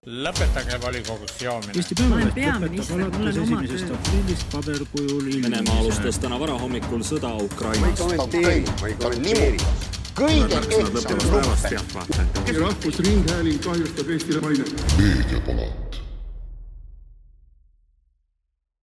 [SPEAKER 9] Lõpetage volikogus joomine.
[SPEAKER 2] Eesti Päevaleht lõpetab alates 1. aprillist paberkujul
[SPEAKER 3] Venemaa alustas täna varahommikul sõda Ukrainas.
[SPEAKER 4] Ma ei kommenteeri. Kõige ehtsam luppe.
[SPEAKER 10] Rahvusringhääling kahjustab Eestile maine.
[SPEAKER 11] Meediapala.